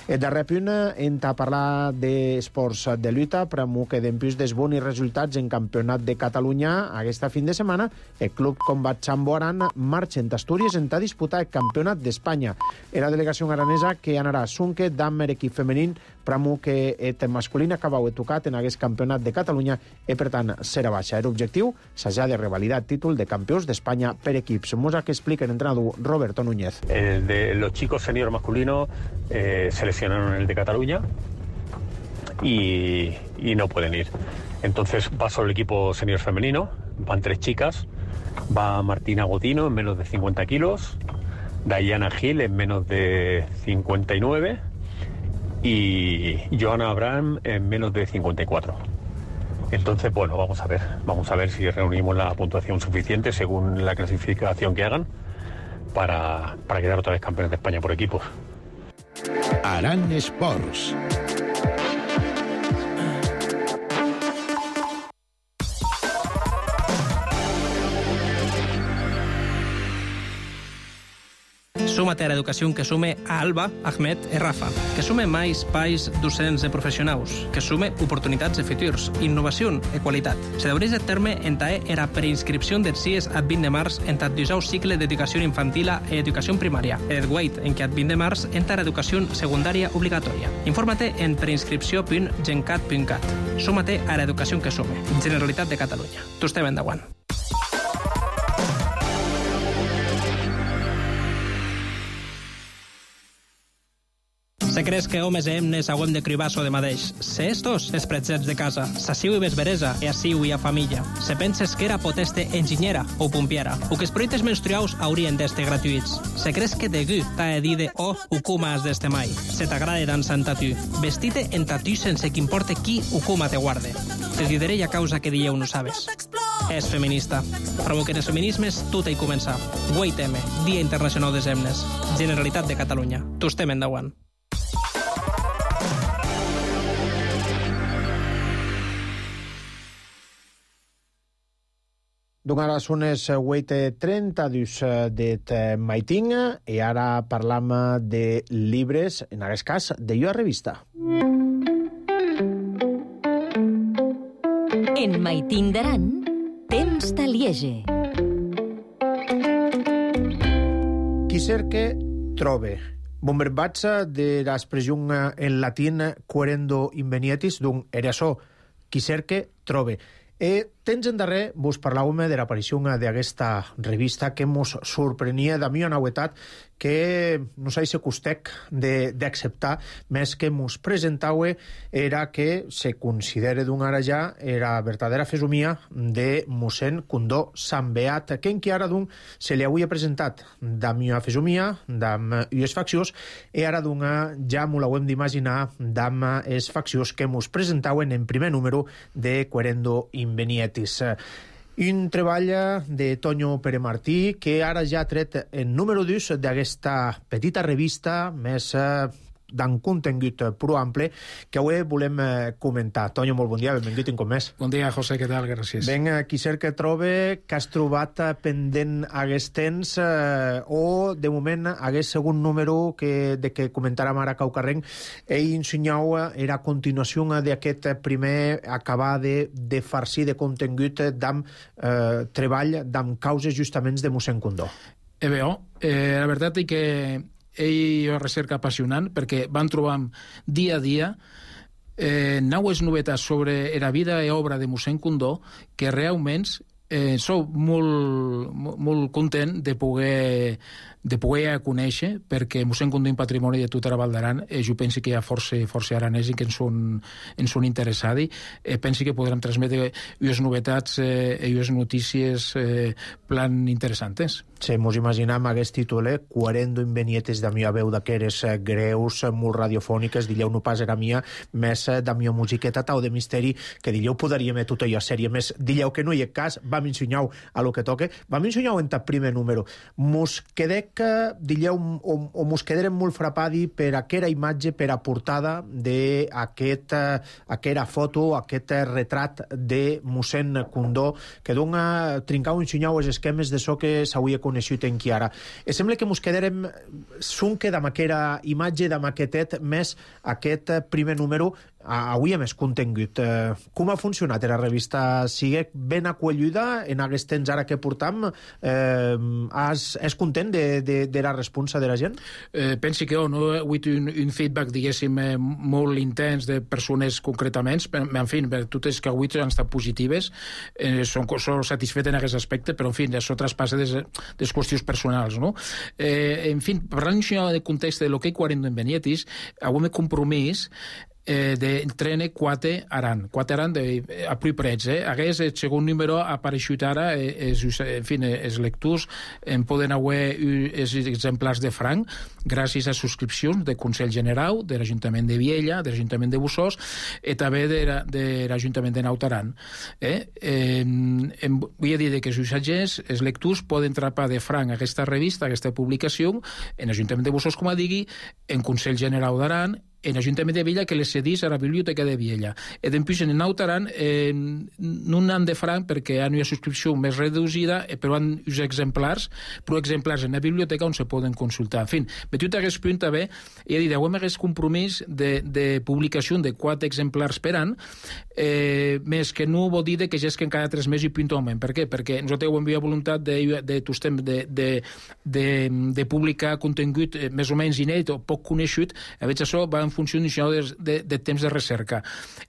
Speaker 1: El darrer punt, hem de parlar d'esports de lluita, premu que d'empís dels bons resultats en Campionat de Catalunya aquesta fin de setmana, el Club Combat Sambo Aran marxen d'Astúries en a disputar el Campionat d'Espanya. La delegació aranesa que anarà a Sunque d'amb equip femení, premu que el masculí acabau tocat en aquest Campionat de Catalunya i, per tant, serà baixa. L'objectiu s'ha de revalidar el títol de campions d'Espanya per equips. Mosa que explica el entrenador Roberto Núñez.
Speaker 14: De los chicos senior masculinos seleccionaron el de Cataluña y no pueden ir. Entonces va solo el equipo senior femenino, van 3 chicas, va Martina Godino en menos de 50 kilos, Dayana Gil en menos de 59 y Joana Abraham en menos de 54. Entonces, bueno, vamos a ver si reunimos la puntuación suficiente según la clasificación que hagan para quedar otra vez campeones de España por equipos.
Speaker 15: Aran Sports.
Speaker 6: Súmate a l'educació que sume a Alba, Ahmed i Rafa, que sume més espais docents de professionals, que sume oportunitats de futurs, innovació i qualitat. Se deureix de terme en tae era preinscripció dels CIES ad 20 de març en tat 12 cicle d'educació infantil i educació primària. Et guait en que ad 20 de març en tar educació secundària obligatòria. Infórmate en preinscripció.gencat.cat. Súmate a l'educació que sume. Generalitat de Catalunya. Tu estem endavant. Se creus que homes i hemnes hauem de cribar-so de madeix. Se estos, els pretzets de casa, s'assiu i vesveresa, e assiu i a família. Se penses que era poteste enginyera o pompiera, o que els projectes menstruaus haurien d'este gratuïts. Se creus que de gu t'ha de dir de o ucuma has d'este mai. Se t'agrada dansar en tatu. Vestite en tatu sense que importe qui ucuma te guarde. Te diré a causa que dieu no sabes. És feminista. Provoquen els feminismes, tot hi comença. 8M, Dia Internacional des Hemnes. Generalitat de Catalunya. Tu estem endavant.
Speaker 1: Donc ara són les 8:32 de maitin i ara parlam de llibres, en aquest cas de Jo a Revista.
Speaker 2: En Maitin d'Aran, temps de liege.
Speaker 1: Qui cerque, trobe. Bon verbatge de l'expressió en latín querendo invenietis, d'un era això, qui cerque, trobe. Temps en darrer vos parlàvem de l'aparició d'aquesta revista que mos sorprenia de mi una novetat que no sé si costec d'acceptar, més que mos presentau era que se considera d'un ara ja la verdadera fesomia de mossèn Condó Sant Beat, que encara d'un se li havia presentat d'am una fesomia, d'am ues faccions, i ara d'un ja m'ho l'hauem d'imaginar d'am es faccions que mos presentauen en primer número de Querendo Invenietis. Un treball de Toño Pere Martí que ara ja ha tret el número 2 d'aquesta petita revista més d'un contingut prou ample que avui volem comentar. Toño, molt bon dia, benvingut un cop més.
Speaker 16: Bon dia, José, què tal? Gràcies.
Speaker 1: Ben, qui cerca trobe que has trobat pendent aquest temps o, de moment, aquest segon número de que comentàrem ara Caucarrenc ell ensenyau era continuació d'aquest primer acabar de farcir de contingut d'am treball d'am causes justament de mossèn Condó.
Speaker 16: La veritat és que ell va recerca apassionant perquè van trobant dia a dia naues novetats sobre la vida i obra de mossèn Condó que realment Soc molt content de poder conèixer, perquè mossèn Condó en patrimoni de tota la Val d'Aran, jo penso que hi ha força aranesi que ens són interessats. Penso que podrem transmetre unes novetats i unes notícies plan interessantes.
Speaker 1: Sí, mos imaginam aquest títol, 40 invenietes de mia veu d'aqueres greus, molt radiofòniques, dilleu no pas era mia, més de mia musiqueta tau de misteri, que dilleu podríem tot allò sèrie, més dilleu que no hi ha cas, vam ensenyau a lo que toque, vam ensenyau en el primer número. Mos quedec, dilleu, o mos quederem molt frapadi per aquera imatge, per a portada d'aquesta foto, aquest retrat de mossèn Condó, que dona trincau ensenyau els esquemes de so que s'hauria coneixut en Chiara. Sembla que mos quedarem sunque d'am aquera imatge, d'am aquestet, més aquest primer número avui a més contingut. Com ha funcionat la revista? Sigue ben acolluda en aquest temps ara que portam? És content de la responsa de la gent?
Speaker 16: Penso que no he hagut un feedback, diguéssim, molt intens de persones concretament, en fi, totes que avui han estat positives, són satisfet en aquest aspecte, però en fi, això traspassa des qüestions personals, no? En fi, parlant de context de lo que hi 40 en Benietis, avui m'he compromís d'entrene quatre Aran a Pui Prets. Aquest el segon número ha apareixut ara, en fi, els lectors en poden haver els exemplars de franc gràcies a subscripcions del Consell General, de l'Ajuntament de Viella, de l'Ajuntament de Bussós i també de l'Ajuntament de Naut Aran. Vull dir que els usatgers, els lectors, poden trapar de franc aquesta revista, aquesta publicació, en l'Ajuntament de Bussós, com a digui, en Consell General d'Aran, en l'Ajuntament de Viella, que les cedís a la Biblioteca de Viella. I després en Naut Aran no han de franc perquè han una subscripció més reduïda, però han uns exemplars, però exemplars en la biblioteca on se poden consultar. En fi, metut a aquest punt també, he dit, hem aquest compromís de publicació de 4 exemplars per any, més que no vol dir que ja és que en cada 3 mesos hi puntualment. Per què? Perquè nosaltres hem havia voluntat de publicar contingut més o menys inèdit o poc coneixut, a veure, això va en funció de temps de recerca.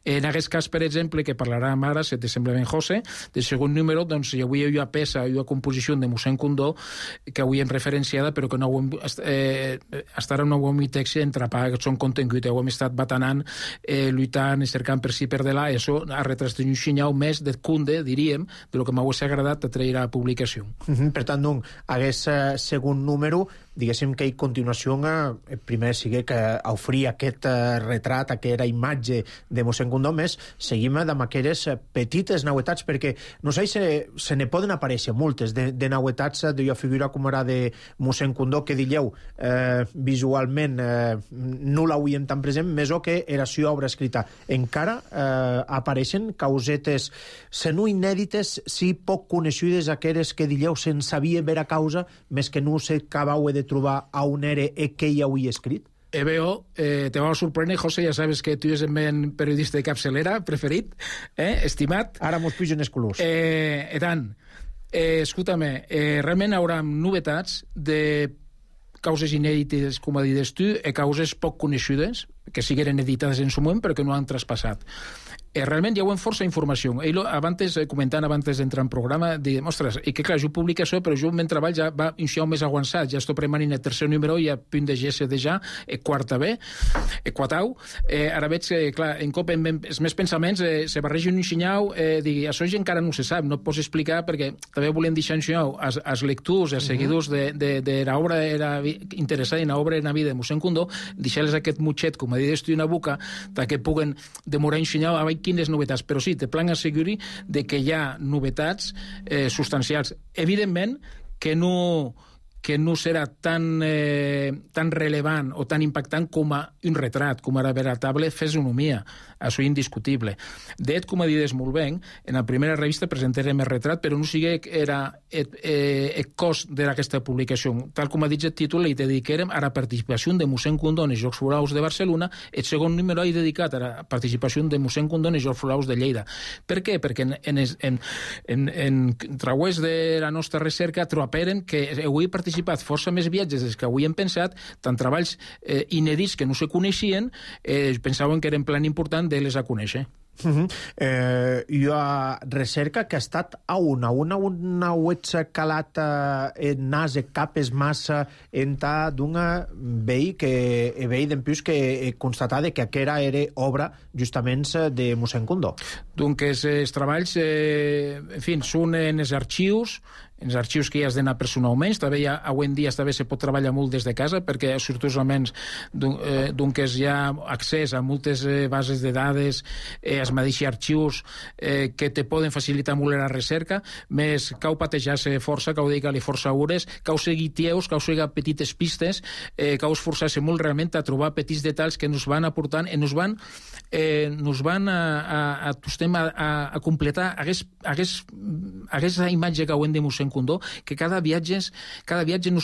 Speaker 16: En aquest cas, per exemple, que parlarà ara, se te sembla ben José, del segon número, doncs avui hi ha peça, hi ha composició de mossèn Condó, que avui hem referenciada, però que no ho hem estar en un text entrapar, que són contingut, ho hem estat batanant, lluitant, cercant per si per de là, i això ha retrat un xinyau més de cunde, diríem, de lo que m'hauria agradat a traure a publicació.
Speaker 1: Per tant, aquest segon número, diguéssim que a continuació primer sigui que oferia aquest retrat, aquesta imatge de mossèn Condó, més seguim amb aquelles petites novetats, perquè no sé si se ne poden aparèixer moltes de novetats d'una figura com era de mossèn Condó, que dilleu visualment no l'hauríem tan present, més o que era seva obra escrita. Encara apareixen causetes, se no inèdites, si poc coneixudes, aquelles que dilleu se'n sabia vera causa, més que no s'acabau de trobar a un ere que hi hauria escrit?
Speaker 16: Veo, te va a sorprendre, José, ja sabes que tu és el meu periodista de capçalera preferit, estimat.
Speaker 1: Ara mos pugen els colors.
Speaker 16: Tant, escolta'm, realment hi haurà novetats de causes inèdites, com dius tu, i causes poc coneixudes, que sigueren editades en su moment, però que no han traspassat. Realment hi ha força informació. Ell, comentant abans d'entrar en programa, diguem, ostres, i que clar, jo publico això, però jo el meu treball ja va un xau més avançat, ja estic preparant el tercer número, ja a punt de GS ja, quarta B, quatau. Ara veig que, clar, en cop els meus pensaments se barregen un xinyau, digui, això ja encara no se sap, no et pots explicar, perquè també volem deixar un xinyau als lectors, als seguidors de l'obra interessada en l'obra en la vida de mossèn Condó, deixar-les aquest mutxet, com a dir, una boca, que puguen demorar un xinyau a quines novetats, però sí, te plan asseguri de que hi ha novetats substancials. Evidentment que no serà tan rellevant o tan impactant com a un retrat, com a veritable fisonomia. Això és indiscutible. De fet, com a dius molt bé, en la primera revista presentarem el retrat, però no sigui el cost d'aquesta publicació. Tal com ha dit el títol, li dedicarem a la participació de mossèn Condó en els Jocs Florals de Barcelona. El segon número és dedicat a la participació de mossèn Condó en els Jocs Florals de Lleida. Per què? Perquè en través de la nostra recerca trobaren que avui he participat força més viatges des que avui hem pensat, tant treballs inèdits que no se coneixien, pensaven que eren plan important de les a conèixer.
Speaker 1: Hi ha recerca que ha estat a una uets calat en nas e capes massa enta d'una vei que vei d'empús que constatada que aquera era obra justament de mossèn Condó.
Speaker 16: Donc els treballs, en fi, són en els arxius que ja has d'anar personalment. També avui en dia també se pot treballar molt des de casa perquè sortosament doncs hi ha accés a moltes bases de dades, els mateixos arxius que te poden facilitar molt la recerca, més cau patejar-se força, cau dedicar-li força hores, cau seguir tieus, cau seguir petites pistes, cau esforçar-se molt realment a trobar petits detalls que ens van aportant i ens van a completar aquesta imatge que hem de mossèn Condó, que cada viatge ens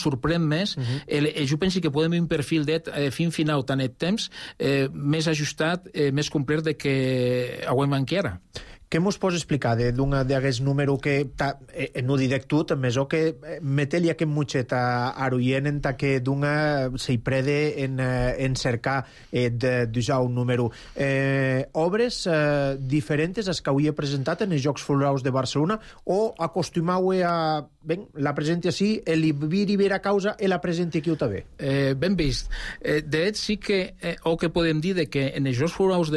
Speaker 16: sorprèn més. Jo penso que podem un perfil fin final tant et temps més ajustat, més complet de que hem encara.
Speaker 1: Què mos pots explicar d'un d'aquest número que no direc tu, més o que metel-hi aquest mutxet a Aroyen en que d'una s'hi prede en cercar d'usar un número. Obres diferents als que avui he presentat en els Jocs Florals de Barcelona o acostumau a la presenti així, l'Ibiri vera causa i la presenti aquí també?
Speaker 16: Ben vist. De fet, sí que o que podem dir que en els Jocs Florals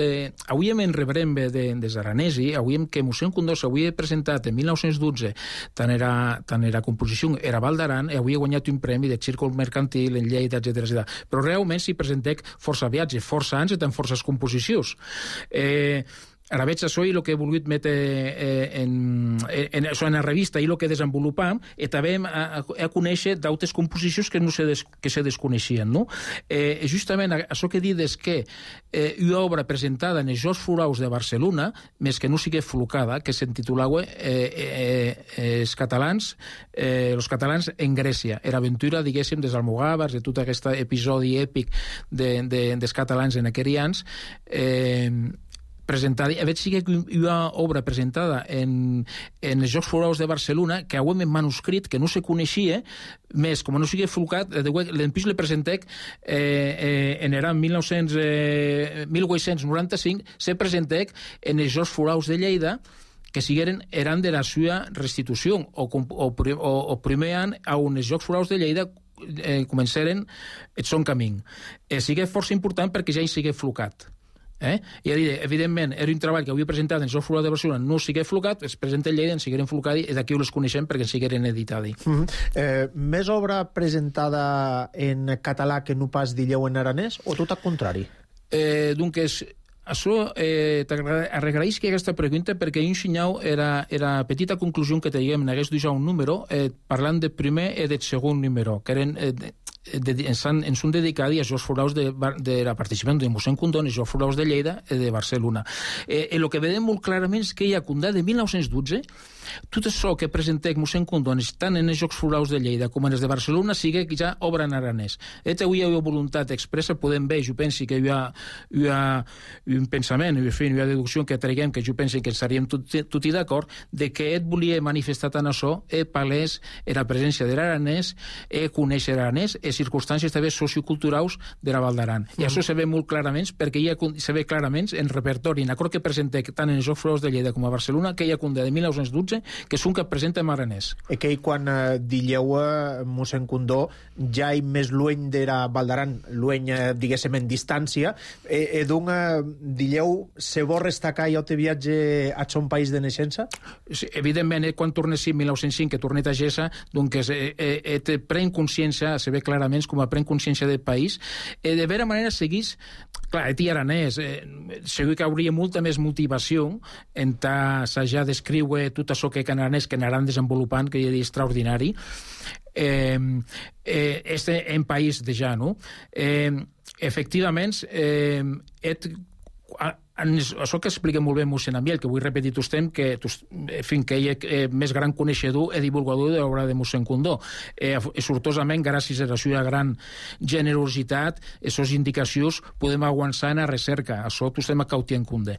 Speaker 16: avui en rebrem des Aranesi, avui que mossèn Condó s'havia presentat en 1912 tant era composició era Val d'Aran i avui ha guanyat un premi de Círcul Mercantil en Lleida, etc. Però realment s'hi presentec força viatges, força anys i tant forces composicions. Ara veig això i el que he volgut metre en la revista i el que desenvolupam i també a conèixer d'altres composicions que se desconeixien. Justament això que dius que una obra presentada en els Jocs Florals de Barcelona, més que no sigui flocada, que s'intitulava els catalans en Grècia. Era aventura, diguéssim, dels almogàvers, de tot aquest episodi èpic dels catalans en aquells anys, presentada, a veure si hi ha una obra presentada en els Jocs Florals de Barcelona que avui en manuscrit, que no se coneixia, més, com no sigui flocat, l'empís le presentec en era 1895, se presentec en els Jocs Florals de Lleida, que eren de la seva restitució, o primer any on els Jocs Florals de Lleida començaren el son camí. Sigue força important perquè ja hi sigue flocat. I evidentment era un treball que havia presentat en els Jocs Florals de Barcelona, no sigui flocat, es presenta en Lleida, en sigueren flocat i d'aquí ho les coneixem perquè en sigueren editat.
Speaker 1: Més obra presentada en català que no pas dilleu en aranès o tot al contrari?
Speaker 16: Doncs això t'agraeix que aquesta pregunta perquè un senyal era petita conclusió que teníem en aquest un número parlant del primer i del segon número que eren ens són dedicats als Jocs Florals de la participació de mossèn Condó en els Jocs Florals de Lleida i de Barcelona. El que vedem molt clarament és que hi ha Condà de 1912 tot això que presentec mossèn Condó tant en els Jocs Florals de Lleida com en els de Barcelona sigue ja obra en aranès. Avui hi ha voluntat expressa, podem ver, jo penso que hi ha un pensament, hi ha una deducció que traguem, que jo penso que estaríem tots d'acord, de que ell volia manifestar tant això palès la presència de l'aranès, conèixer l'aranès, circumstàncies també socioculturals de la Val d'Aran. I això se ve molt clarament perquè se ve clarament en repertori, en acord que presentec tant en els Jocs Florals de Lleida com a Barcelona, que hi ha Condà de 1912 que són que presenta en aranès.
Speaker 1: Que quan dilleu mossèn Condó ja hi més lueny de la Val d'Aran, lueny, diguéssim, en distància, dilleu se vol destacar i te viatge a son país de naixença?
Speaker 16: Evidentment, quan tornes en 1905, que tornet a Gessa, doncs te pren consciència, se ve clarament com a pren consciència del país, de vera manera seguís, clar, eti aranès, segur que hauria molta més motivació en assajar d'escriure tot això que en aranès que anaran desenvolupant, que hi ha extraordinari, en país de ja, no? Efectivament, això que explica molt bé mossèn Amiel, que vull repetir tostem, que ell és més gran coneixedor i divulgador de l'obra de mossèn Condó. Sortosament, gràcies a la seva gran generositat, aquestes indicacions podem avançar en la recerca. Això tostem a cautir en compte.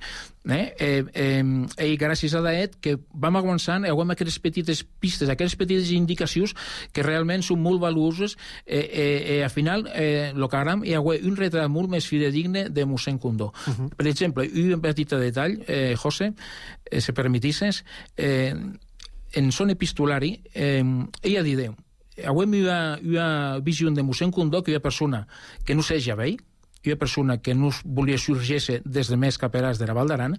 Speaker 16: I gràcies a Daet que vam avançant i agafem aquestes petites pistes, aquestes petites indicacions que realment són molt valuoses i al final el que agram hi ha un retrat molt més fidedigne de mossèn Condó. Per exemple, un petit detall, José, si permetisses, en son epistolari, ella dideu, avui una visió de mossèn Condó que hi ha persona que no seja vell, hi ha persona que no volia sorgir-se des de més caperàs de la Val d'Aran,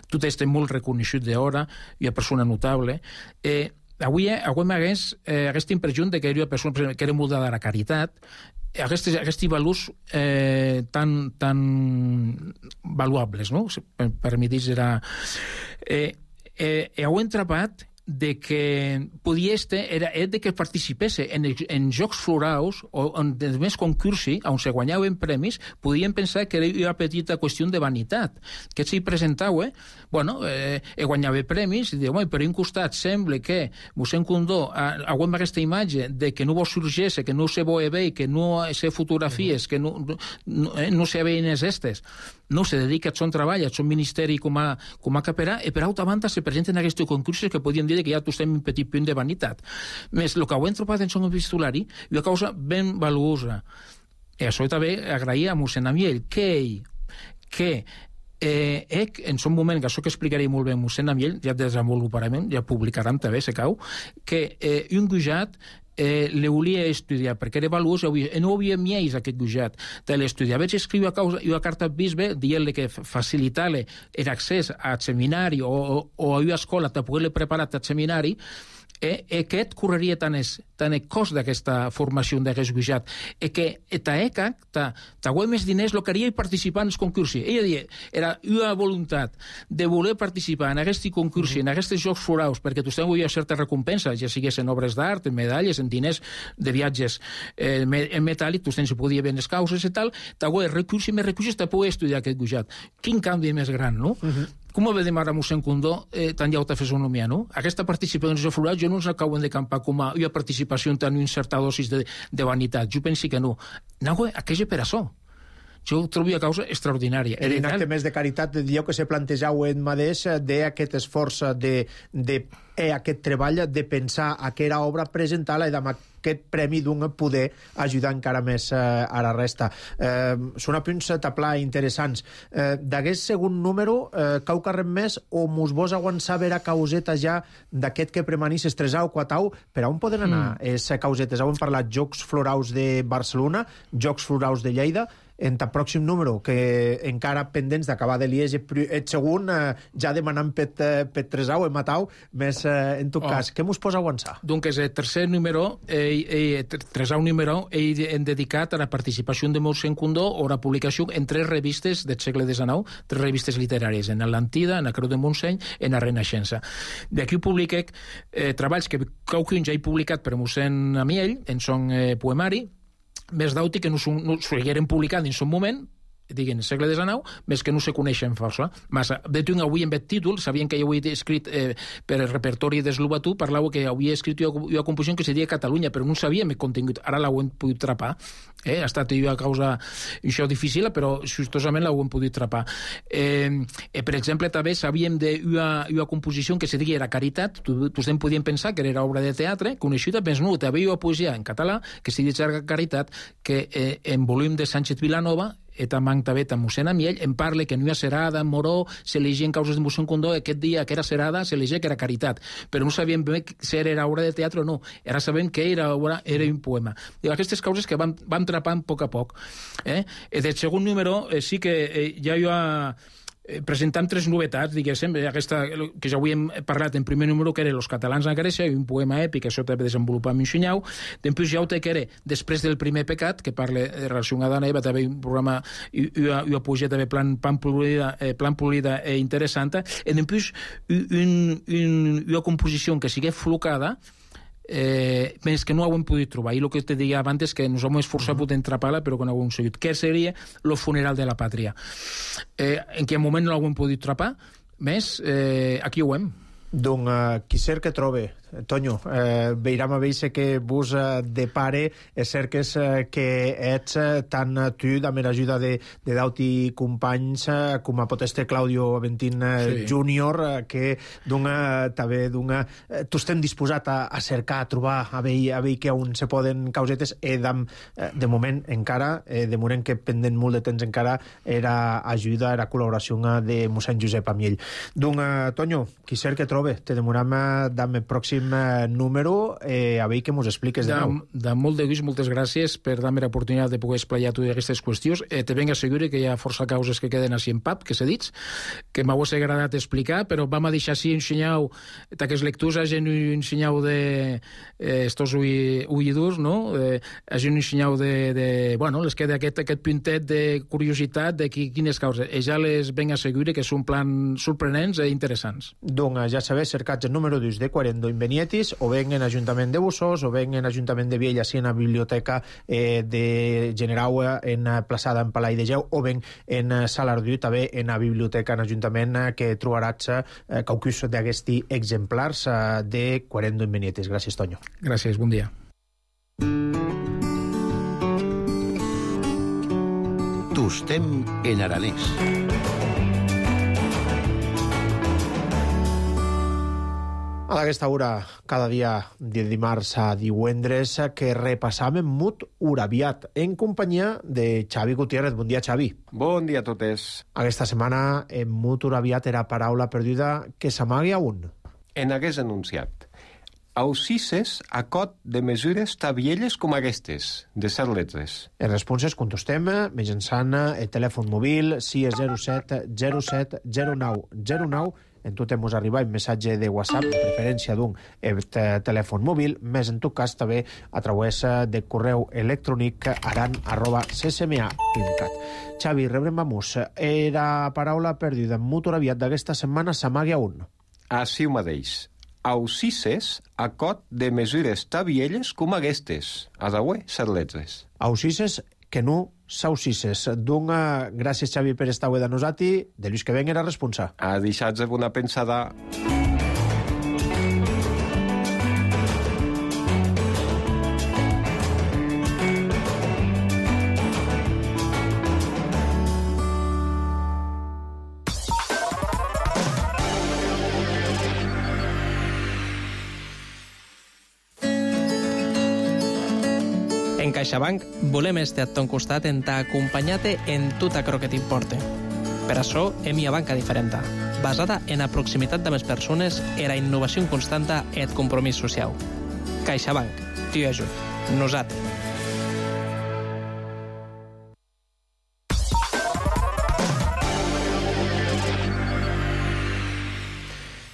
Speaker 16: tot este molt reconegut d'hora, hi ha persona notable. Avui m'hagués impressió que era una persona que era molt de la caritat, aquests valors tan valuables, no? Per mi dir, era... Heu entrapat de que podia era de que participés en jocs florals o en més concursi on se guanyaven premis, podien pensar que era una petita qüestió de vanitat, que s'hi presentava, guanyava premis i diu, per un costat sembla que mossèn Condó aguanta aquesta imatge de que no vol sorgir-se, que no se veia bé, que no se fotografies, que no se veien estes, no se dedica al seu treball, al seu ministeri com a caperà, i per altra banda se presenten aquests concursos que podien dir que ja tu estem un petit punt de vanitat. Més, el que ho hem trobat en son epistolari és una cosa ben valuosa. I això també agrair a mossèn Amiel que en son moment, que això que explicaré molt bé mossèn Amiel, ja desenvoluparem, ja publicarem també, se cau, que un gujat le volia estudiar, perquè era valuós, no havia mieix aquest gujat de l'estudiar. Vaig escriure una carta al bisbe dient-li que facilitar-li l'accés al seminari o a una escola per poder-li preparar al seminari, aquest correria tant el cost d'aquesta formació d'aquest gujat, que guanyar més diners el que haria participar en els concursos. Ella deia, era una voluntat de voler participar en aquest concurs, en aquests jocs florals, perquè tu tens certa recompensa, ja sigués en obres d'art, en medalles, en diners de viatges en metàl·lic, tu tens podia bé les causes i tal, guanyar recursos i més recursos per poder estudiar aquest gujat. Quin canvi més gran, no? Com ho veiem ara mossèn Condó, tan llauta fisonomia, no? Aquesta participació en els florals jo no ens acaben de campar com a una participació en una certa dosis de vanitat. Jo penso que no. Aquella per això. Jo ho trobo una causa extraordinària.
Speaker 1: Era un acte més de caritat, dieu que se plantejau en mateix d'aquest esforç aquest treball de pensar aquesta obra, presentar-la i amb aquest premi d'un poder ajudar encara més a la resta. Són apunts taplà interessants. D'aquest segon número, cau carrem més o mos vos aguançar a causeta ja d'aquest que premanís estresau, quatau, per on poden anar les causetes? Hem parlat Jocs Florals de Barcelona, Jocs Florals de Lleida, en el pròxim número, que encara pendents d'acabar de Liege, et segon, ja demanant per Tresau, Matau, més en tot cas. Què mos posa aguançar?
Speaker 16: Donc, el tercer número, Tresau número, hem dedicat a la participació de mossèn Condó o la publicació en 3 revistes del segle XIX, 3 revistes literàries, en l'Atlantida, en la Creu de Montseny, en la Renaixença. D'aquí publiquec treballs que qualcun ja he publicat per mossèn Amiel, en son poemari, més d'auti que no s'hagueren publicat en son moment, diguem, el segle XIX, més que no se coneixen força. De tu avui en aquest títol, sabien que jo ho he escrit per el repertori d'Eslovatú, parlava que havia escrit una composició que se deia Catalunya, però no sabíem el contingut. Ara l'ho hem pogut trapar. Ha estat una causa això difícil, però justosament l'ho hem pogut trapar. Per exemple, també sabíem d'una composició que se deia era Caritat. Tots podien pensar que era obra de teatre, coneixuda, però no, també una poesia en català que se deia Caritat, que en volum de Sánchez Vilanova, també a mossèn Amiel, em parla que no hi ha serada, moró, s'elegien causes de mossèn Condó, aquest dia que era serada, s'elegia que era Caritat, però no sabíem bé si era obra de teatre o no, ara sabem que era un poema. Aquestes causes que vam trapant a poc a poc. Del segon número sí que ja hi ha presentant 3 novetats, diguéssim, aquesta que ja avui hem parlat en primer número, que era Los catalans a Grècia, un poema èpic, això també desenvolupam en Xunyau. Després ja ho té que era Després del primer pecat, que parla de relació a Adán i Eva, també un programa i una poesia també plan polida i interessant. I després una composició que sigui flocada, més que no ho hem pogut trobar, i el que te deia abans és que ens hem esforçat per entrapar-la però que no ho hem seguit, que seria Lo funeral de la pàtria, en quin moment no ho hem pogut trapar, més aquí ho hem.
Speaker 1: Donc, qui cerca trobe. Tonyo, veiram a veure que vos de pare és cert que ets tant tu, amb l'ajuda de d'auti companys, com a pot este Claudio Aventín Júnior, que també tu estem disposat a cercar, a trobar, a veure que on se poden causetes, de moment encara, de moment que pendent molt de temps encara, era ajuda, era col·laboració de mossèn Josep Amiell. Tonyo, qui cert que trobe, te demoram amb el pròxim número, a veure què mos expliques de nou.
Speaker 16: De molt de gust, moltes gràcies per dar-me l'oportunitat de poder esplayar tu d'aquestes qüestions. Te venc assegurar que hi ha força causes que queden així en pap, que s'ha dit, que m'hagués agradat explicar, però vam a deixar així un senyau, d'aquestes lectures hagin un senyau de estos oïdors, no? Hagin un senyau de bueno, les queda aquest puntet de curiositat de quines causes. Ja les venc assegurar que són plans sorprenents i interessants.
Speaker 1: Doncs ja sabeu, cercats el número 2 de Quarendo Invenietis, o ben en Ajuntament de Bussós, o ben en Ajuntament de Viella, així en la biblioteca de Generau, en plaçada en Palai de Geu, o ben en Salardú, també en la biblioteca en Ajuntament, que trobaràs qualcus d'aquests exemplars de Quarendo Invenietis. Gràcies, Tonyo.
Speaker 16: Gràcies, bon dia.
Speaker 15: Tostem en aranès.
Speaker 1: A aquesta hora, cada dia de dimarts a divendres, que repassam Mut Urabiat, en companyia de Xavi Gutiérrez. Bon dia, Xavi.
Speaker 17: Bon dia a totes.
Speaker 1: Aquesta setmana, en Mut Urabiat era paraula perduda que s'amagui a un.
Speaker 17: En hagués anunciat. Aussices a cot de mesures tabielles com aquestes, de 7 letres.
Speaker 1: Les responses contestem mitjançant el telèfon mòbil 607 07 09 09. En tot mos arriba un missatge de WhatsApp, de preferència d'un telèfon mòbil, més en tot cas també a través de correu electrònic aran@ccma.cat. Xavi, rebrem vamos. Era paraula perduda en Mut Urabiat d'aquesta setmana s'amagui a un.
Speaker 17: Així ho mateix. Aussices a cot de mesures tabielles com aquestes. A daué, 7 letres.
Speaker 1: Aussices que no s'aussices. Gràcies, Xavi, per estar avui de nosati. De Lluís que venga era responsa.
Speaker 17: A deixar-vos una pensada.
Speaker 6: En CaixaBank volem estar a ton costat en t'acompanyar-te en tot aquello que t'importe. Per això hem una banca diferent, basada en la proximitat de les persones, en la innovació constanta i el compromís social. CaixaBank, t'hi ajut. Nosaltres.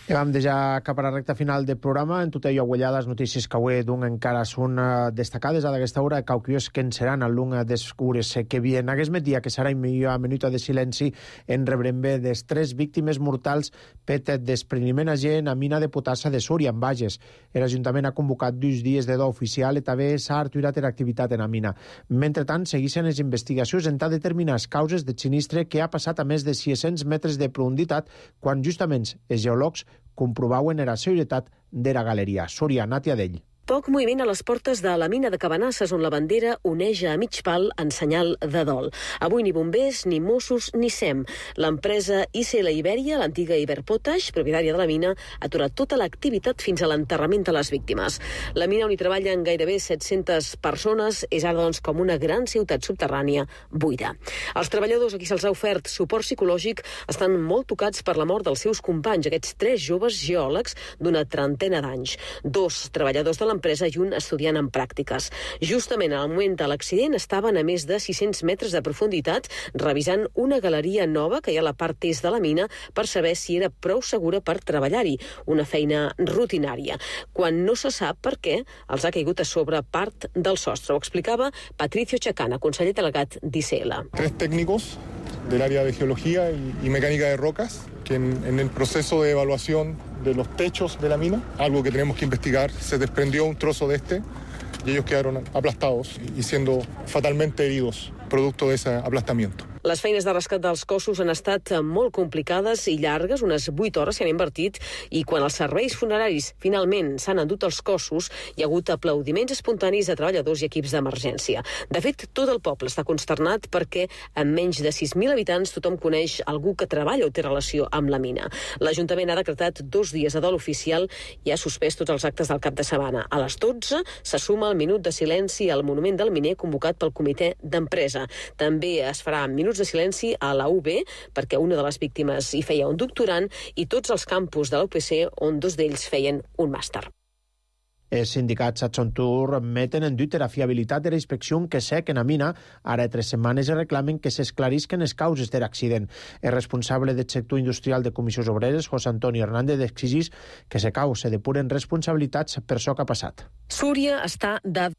Speaker 1: I vam deixar cap a la recta final del programa. En tot allò guanyar les notícies que avui encara són destacades a d'aquesta hora, cauquios que en seran al lung descures que bien. Aquest dia que serà una minuta de silenci en rebrem bé des 3 víctimes mortals per despreniment agent a mina de potassa de Súria, en Bages. L'Ajuntament ha convocat 2 dies de do oficial i també s'ha aturat l'activitat en la mina. Mentrestant, segueixen les investigacions en tal determinar les causes de sinistre que ha passat a més de 600 metres de profunditat quan justament els geòlegs comprovaven la seguretat de la galeria. Súria, Nàtia Dell.
Speaker 18: Poc moviment a les portes de la mina de Cabanasses, on la bandera oneja a mig pal en senyal de dol. Avui ni bombers, ni Mossos, ni SEM. L'empresa ICL Iberia, l'antiga Iberpotash, propietària de la mina, ha aturat tota l'activitat fins a l'enterrament de les víctimes. La mina, on hi treballen gairebé 700 persones, és ara doncs com una gran ciutat subterrània buida. Els treballadors a qui se'ls ha ofert suport psicològic estan molt tocats per la mort dels seus companys, aquests 3 joves geòlegs d'una trentena d'anys. 2 treballadors de l'empresa i un estudiant en pràctiques. Justament al moment de l'accident estaven a més de 600 metres de profunditat revisant una galeria nova que hi ha a la part est de la mina per saber si era prou segura per treballar-hi, una feina rutinària. Quan no se sap per què els ha caigut a sobre part del sostre. Ho explicava Patricio Chacana, conseller delegat d'ICL.
Speaker 19: 3 técnicos del área de geología y mecánica de rocas que en el proceso de evaluación de los techos de la mina, algo que tenemos que investigar, se desprendió un trozo de y ellos quedaron aplastados y siendo fatalmente heridos producto de ese aplastamiento.
Speaker 18: Les feines de rescat dels cossos han estat molt complicades i llargues, unes 8 hores s'hi han invertit, i quan els serveis funeraris finalment s'han endut els cossos, hi ha hagut aplaudiments espontanis de treballadors i equips d'emergència. De fet, tot el poble està consternat perquè amb menys de 6.000 habitants tothom coneix algú que treballa o té relació amb la mina. L'Ajuntament ha decretat 2 dies de dol oficial i ha suspès tots els actes del cap de setmana. A les 12 se suma el minut de silenci al monument del miner convocat pel comitè d'empresa. També es farà minuts de silenci a la UB perquè una de les víctimes hi feia un doctorant i tots els campus de la UPC on 2 d'ells feien un màster.
Speaker 1: Els sindicats Atxontur meten en dubte la fiabilitat de la inspecció que sec en la mina. Ara 3 setmanes reclamen que s'esclarisquen les causes de l'accident. El responsable del sector industrial de Comissions Obreres, José Antonio Hernández, exigís que se depuren responsabilitats per això que ha passat.
Speaker 18: Súria està de...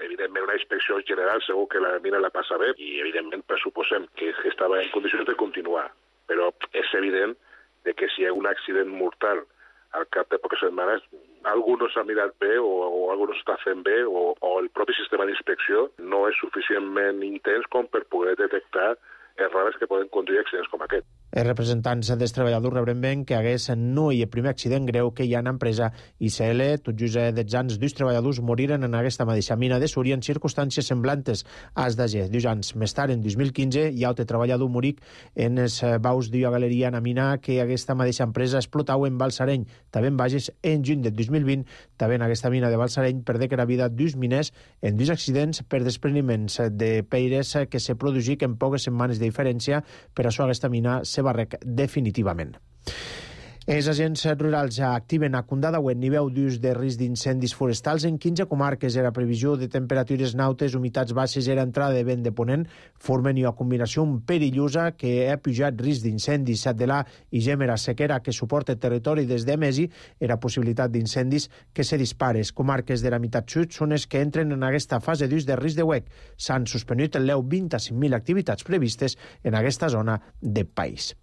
Speaker 20: Evidentment, una inspecció general segur que la mina la passa bé i, evidentment, pressuposem que estava en condicions de continuar. Però és evident que si hi ha un accident mortal al cap de poques setmanes, algú no s'ha mirat bé o algú no s'està fent bé o el propi sistema d'inspecció no és suficientment intens com per poder detectar errades que poden conduir a accidents com aquest.
Speaker 1: Els representants dels treballadors rebren ben que hagués no hi ha primer accident greu que hi ha en l'empresa ICL. Tot just 10 anys, 2 treballadors moriren en aquesta mateixa mina de Súria en circumstàncies semblantes als d'Ager. 2 anys més tard, en 2015, hi ha altre treballador moric en els baus d'Io Galeria en la mina que aquesta mateixa empresa explotava en Balsareny. També en Bages, en juny del 2020, també en aquesta mina de Balsareny perdé la vida 2 miners en 2 accidents per despreniments de peires que se produït en poques setmanes de diferència. Per això aquesta mina se barrec definitivament. Els agents rurals ja activen a Condadauet nivell d'ús de risc d'incendis forestals en 15 comarques. Era previsió de temperatures nautes, humitats baixes, era entrada de vent de ponent, formen una combinació perillosa que ha pujat risc d'incendis. De la i gèmera sequera que suporta el territori des de Mesi, era possibilitat d'incendis que se dispares. Comarques de la meitat sud són les que entren en aquesta fase d'ús de risc de huec. S'han suspendut el 25.000 activitats previstes en aquesta zona de país.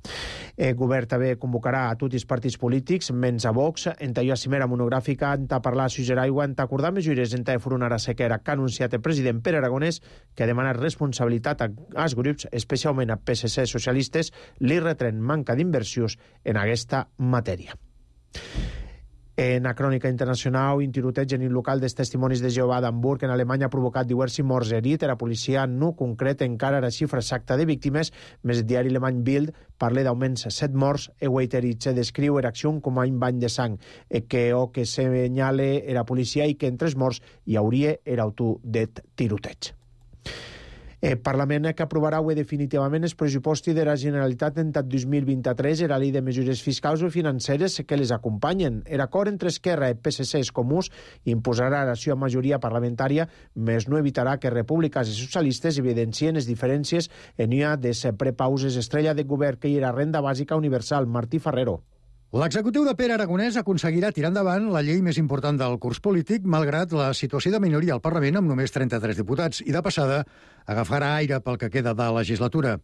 Speaker 1: El govern també convocarà a tots els partits polítics, menys a Vox, en la cimera monogràfica, en parlar a Aigua, en acordar mesures en enfrontar la sequera que ha anunciat el president Pere Aragonès, que ha demanat responsabilitat als grups, especialment a PSC socialistes, li retren manca d'inversions en aquesta matèria. En la crònica internacional, un tiroteig en un local dels Testimonis de Jehovà d'Hamburg en Alemanya ha provocat diversos morts herits. La policia no concreta encara la xifra exacta de víctimes, més el diari alemany Bild parla d'augments 7 morts. Eweiterich descriu l'acció com a un bany de sang, que senyala la policia i que en 3 morts hi hauria l'autor del tiroteig. El Parlament que aprovarà avui definitivament els pressupostos de la Generalitat en 2023 i la llei de mesures fiscals o financeres que les acompanyen. L'acord entre Esquerra, el PSC i els Comuns imposarà la seva majoria parlamentària, més no evitarà que republicans i socialistes evidencien les diferències en una de les prepauses estrella de govern que hi ha renda bàsica universal. Martí Ferrero.
Speaker 21: L'executiu de Pere Aragonès aconseguirà tirar endavant la llei més important del curs polític, malgrat la situació de minoria al Parlament amb només 33 diputats, i de passada agafarà aire pel que queda de legislatura.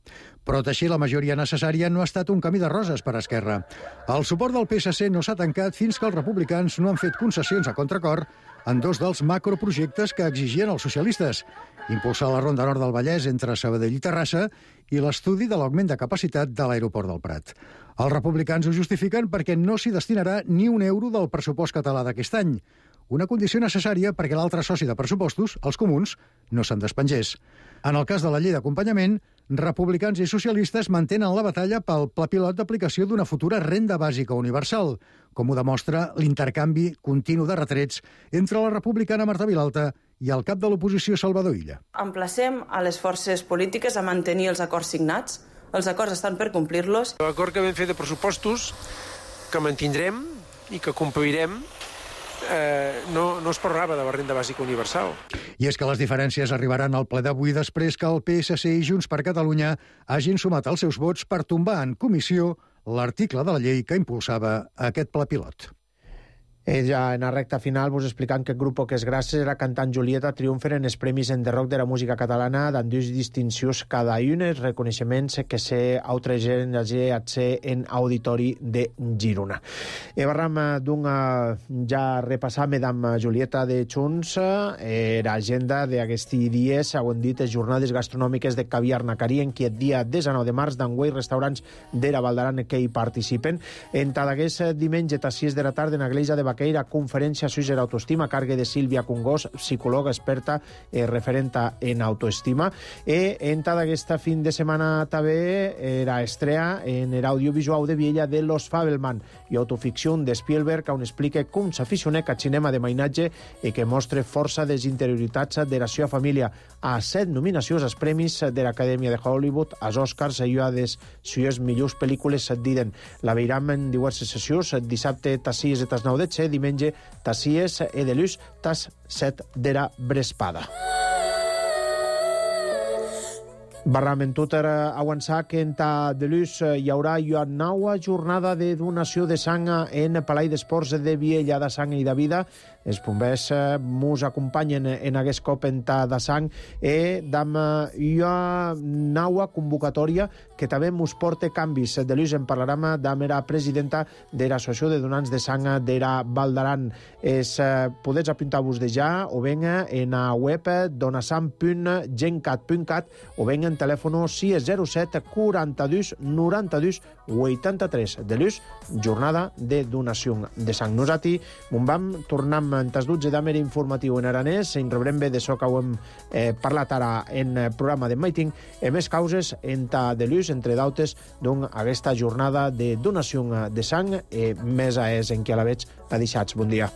Speaker 21: Però teixir la majoria necessària no ha estat un camí de roses per a Esquerra. El suport del PSC no s'ha tancat fins que els republicans no han fet concessions a contracor en 2 dels macroprojectes que exigien els socialistes: impulsar la Ronda Nord del Vallès entre Sabadell i Terrassa i l'estudi de l'augment de capacitat de l'aeroport del Prat. Els republicans ho justifiquen perquè no s'hi destinarà ni un euro del pressupost català d'aquest any, una condició necessària perquè l'altre soci de pressupostos, els comuns, no se'n despengés. En el cas de la llei d'acompanyament, republicans i socialistes mantenen la batalla pel pla pilot d'aplicació d'una futura renda bàsica universal, com ho demostra l'intercanvi continu de retrets entre la republicana Marta Vilalta i el cap de l'oposició Salvador Illa.
Speaker 22: Emplacem a les forces polítiques a mantenir els acords signats. Els acords estan per complir-los.
Speaker 23: L'acord que vam fer de pressupostos, que mantindrem i que complirem, no es parlava de la renda bàsica universal.
Speaker 21: I és que les diferències arribaran al ple d'avui després que el PSC i Junts per Catalunya hagin sumat els seus vots per tombar en comissió l'article de la llei que impulsava aquest pla pilot.
Speaker 1: Ella, en la recta final, vos explicant que el grup que és gràcies era cantant Julieta triomfen en els premis en The Rock de la música catalana, dant dues distincions cada una, els reconeixements que se altra gent en auditori de Girona. Barram d'un ja repassar amb Julieta de Junts l'agenda d'aquests dies, segons dit, les jornades gastronòmiques de Caviar Nacarí, en qui el dia 19 de març d'enguany restaurants d'Era Valdaran que hi participen. En tot aquest diumenge a 6 de la tarda en l'església de Baqueira, conferència Suïssa d'autoestima, cargue de Sílvia Cungós, psicòloga experta referenta en autoestima. En tota aquesta fin de setmana també era estrena en l'audiovisual de Viella de Los Fabelman i autoficció de Spielberg, on explica com s'aficionec al cinema de mainatge i que mostra força desinterioritats de la seva família. A 7 nominacions als premis de l'Acadèmia de Hollywood, als Oscars i a les seues millors pel·lícules diden. La veiram en diverses sessions, dissabte tas 6 i tas 9 de xe, diumenge tas 6 e de luz tas 7 d'era Brespada. Barram en tot avançar que en ta de luz hi haurà una nova jornada de donació de sang en Palai d'Esports de Viella de Sang i de Vida. Els bombers mos acompanyen en aquest cop en ta de sang d'am una nova convocatòria que també mos porta canvis. De luz en parlarem d'am era presidenta de l'Associació de Donants de Sang d'Era Valdaran. Podeu apuntar-vos de ja o ben en la web donasang.gencat.cat o ben en telèfon 607 42 92 83. De luz, jornada de donació de sang. Nosaltres vam tornar en tas 12 d'Amer informatiu en aranès, en rebrem bé de so que ho hem parlat ara en el programa de Maiting, més causes en ta de luz, entre d'altres, aquesta jornada de donació de sang, més a és en qui a la veig a deixats. Bon dia.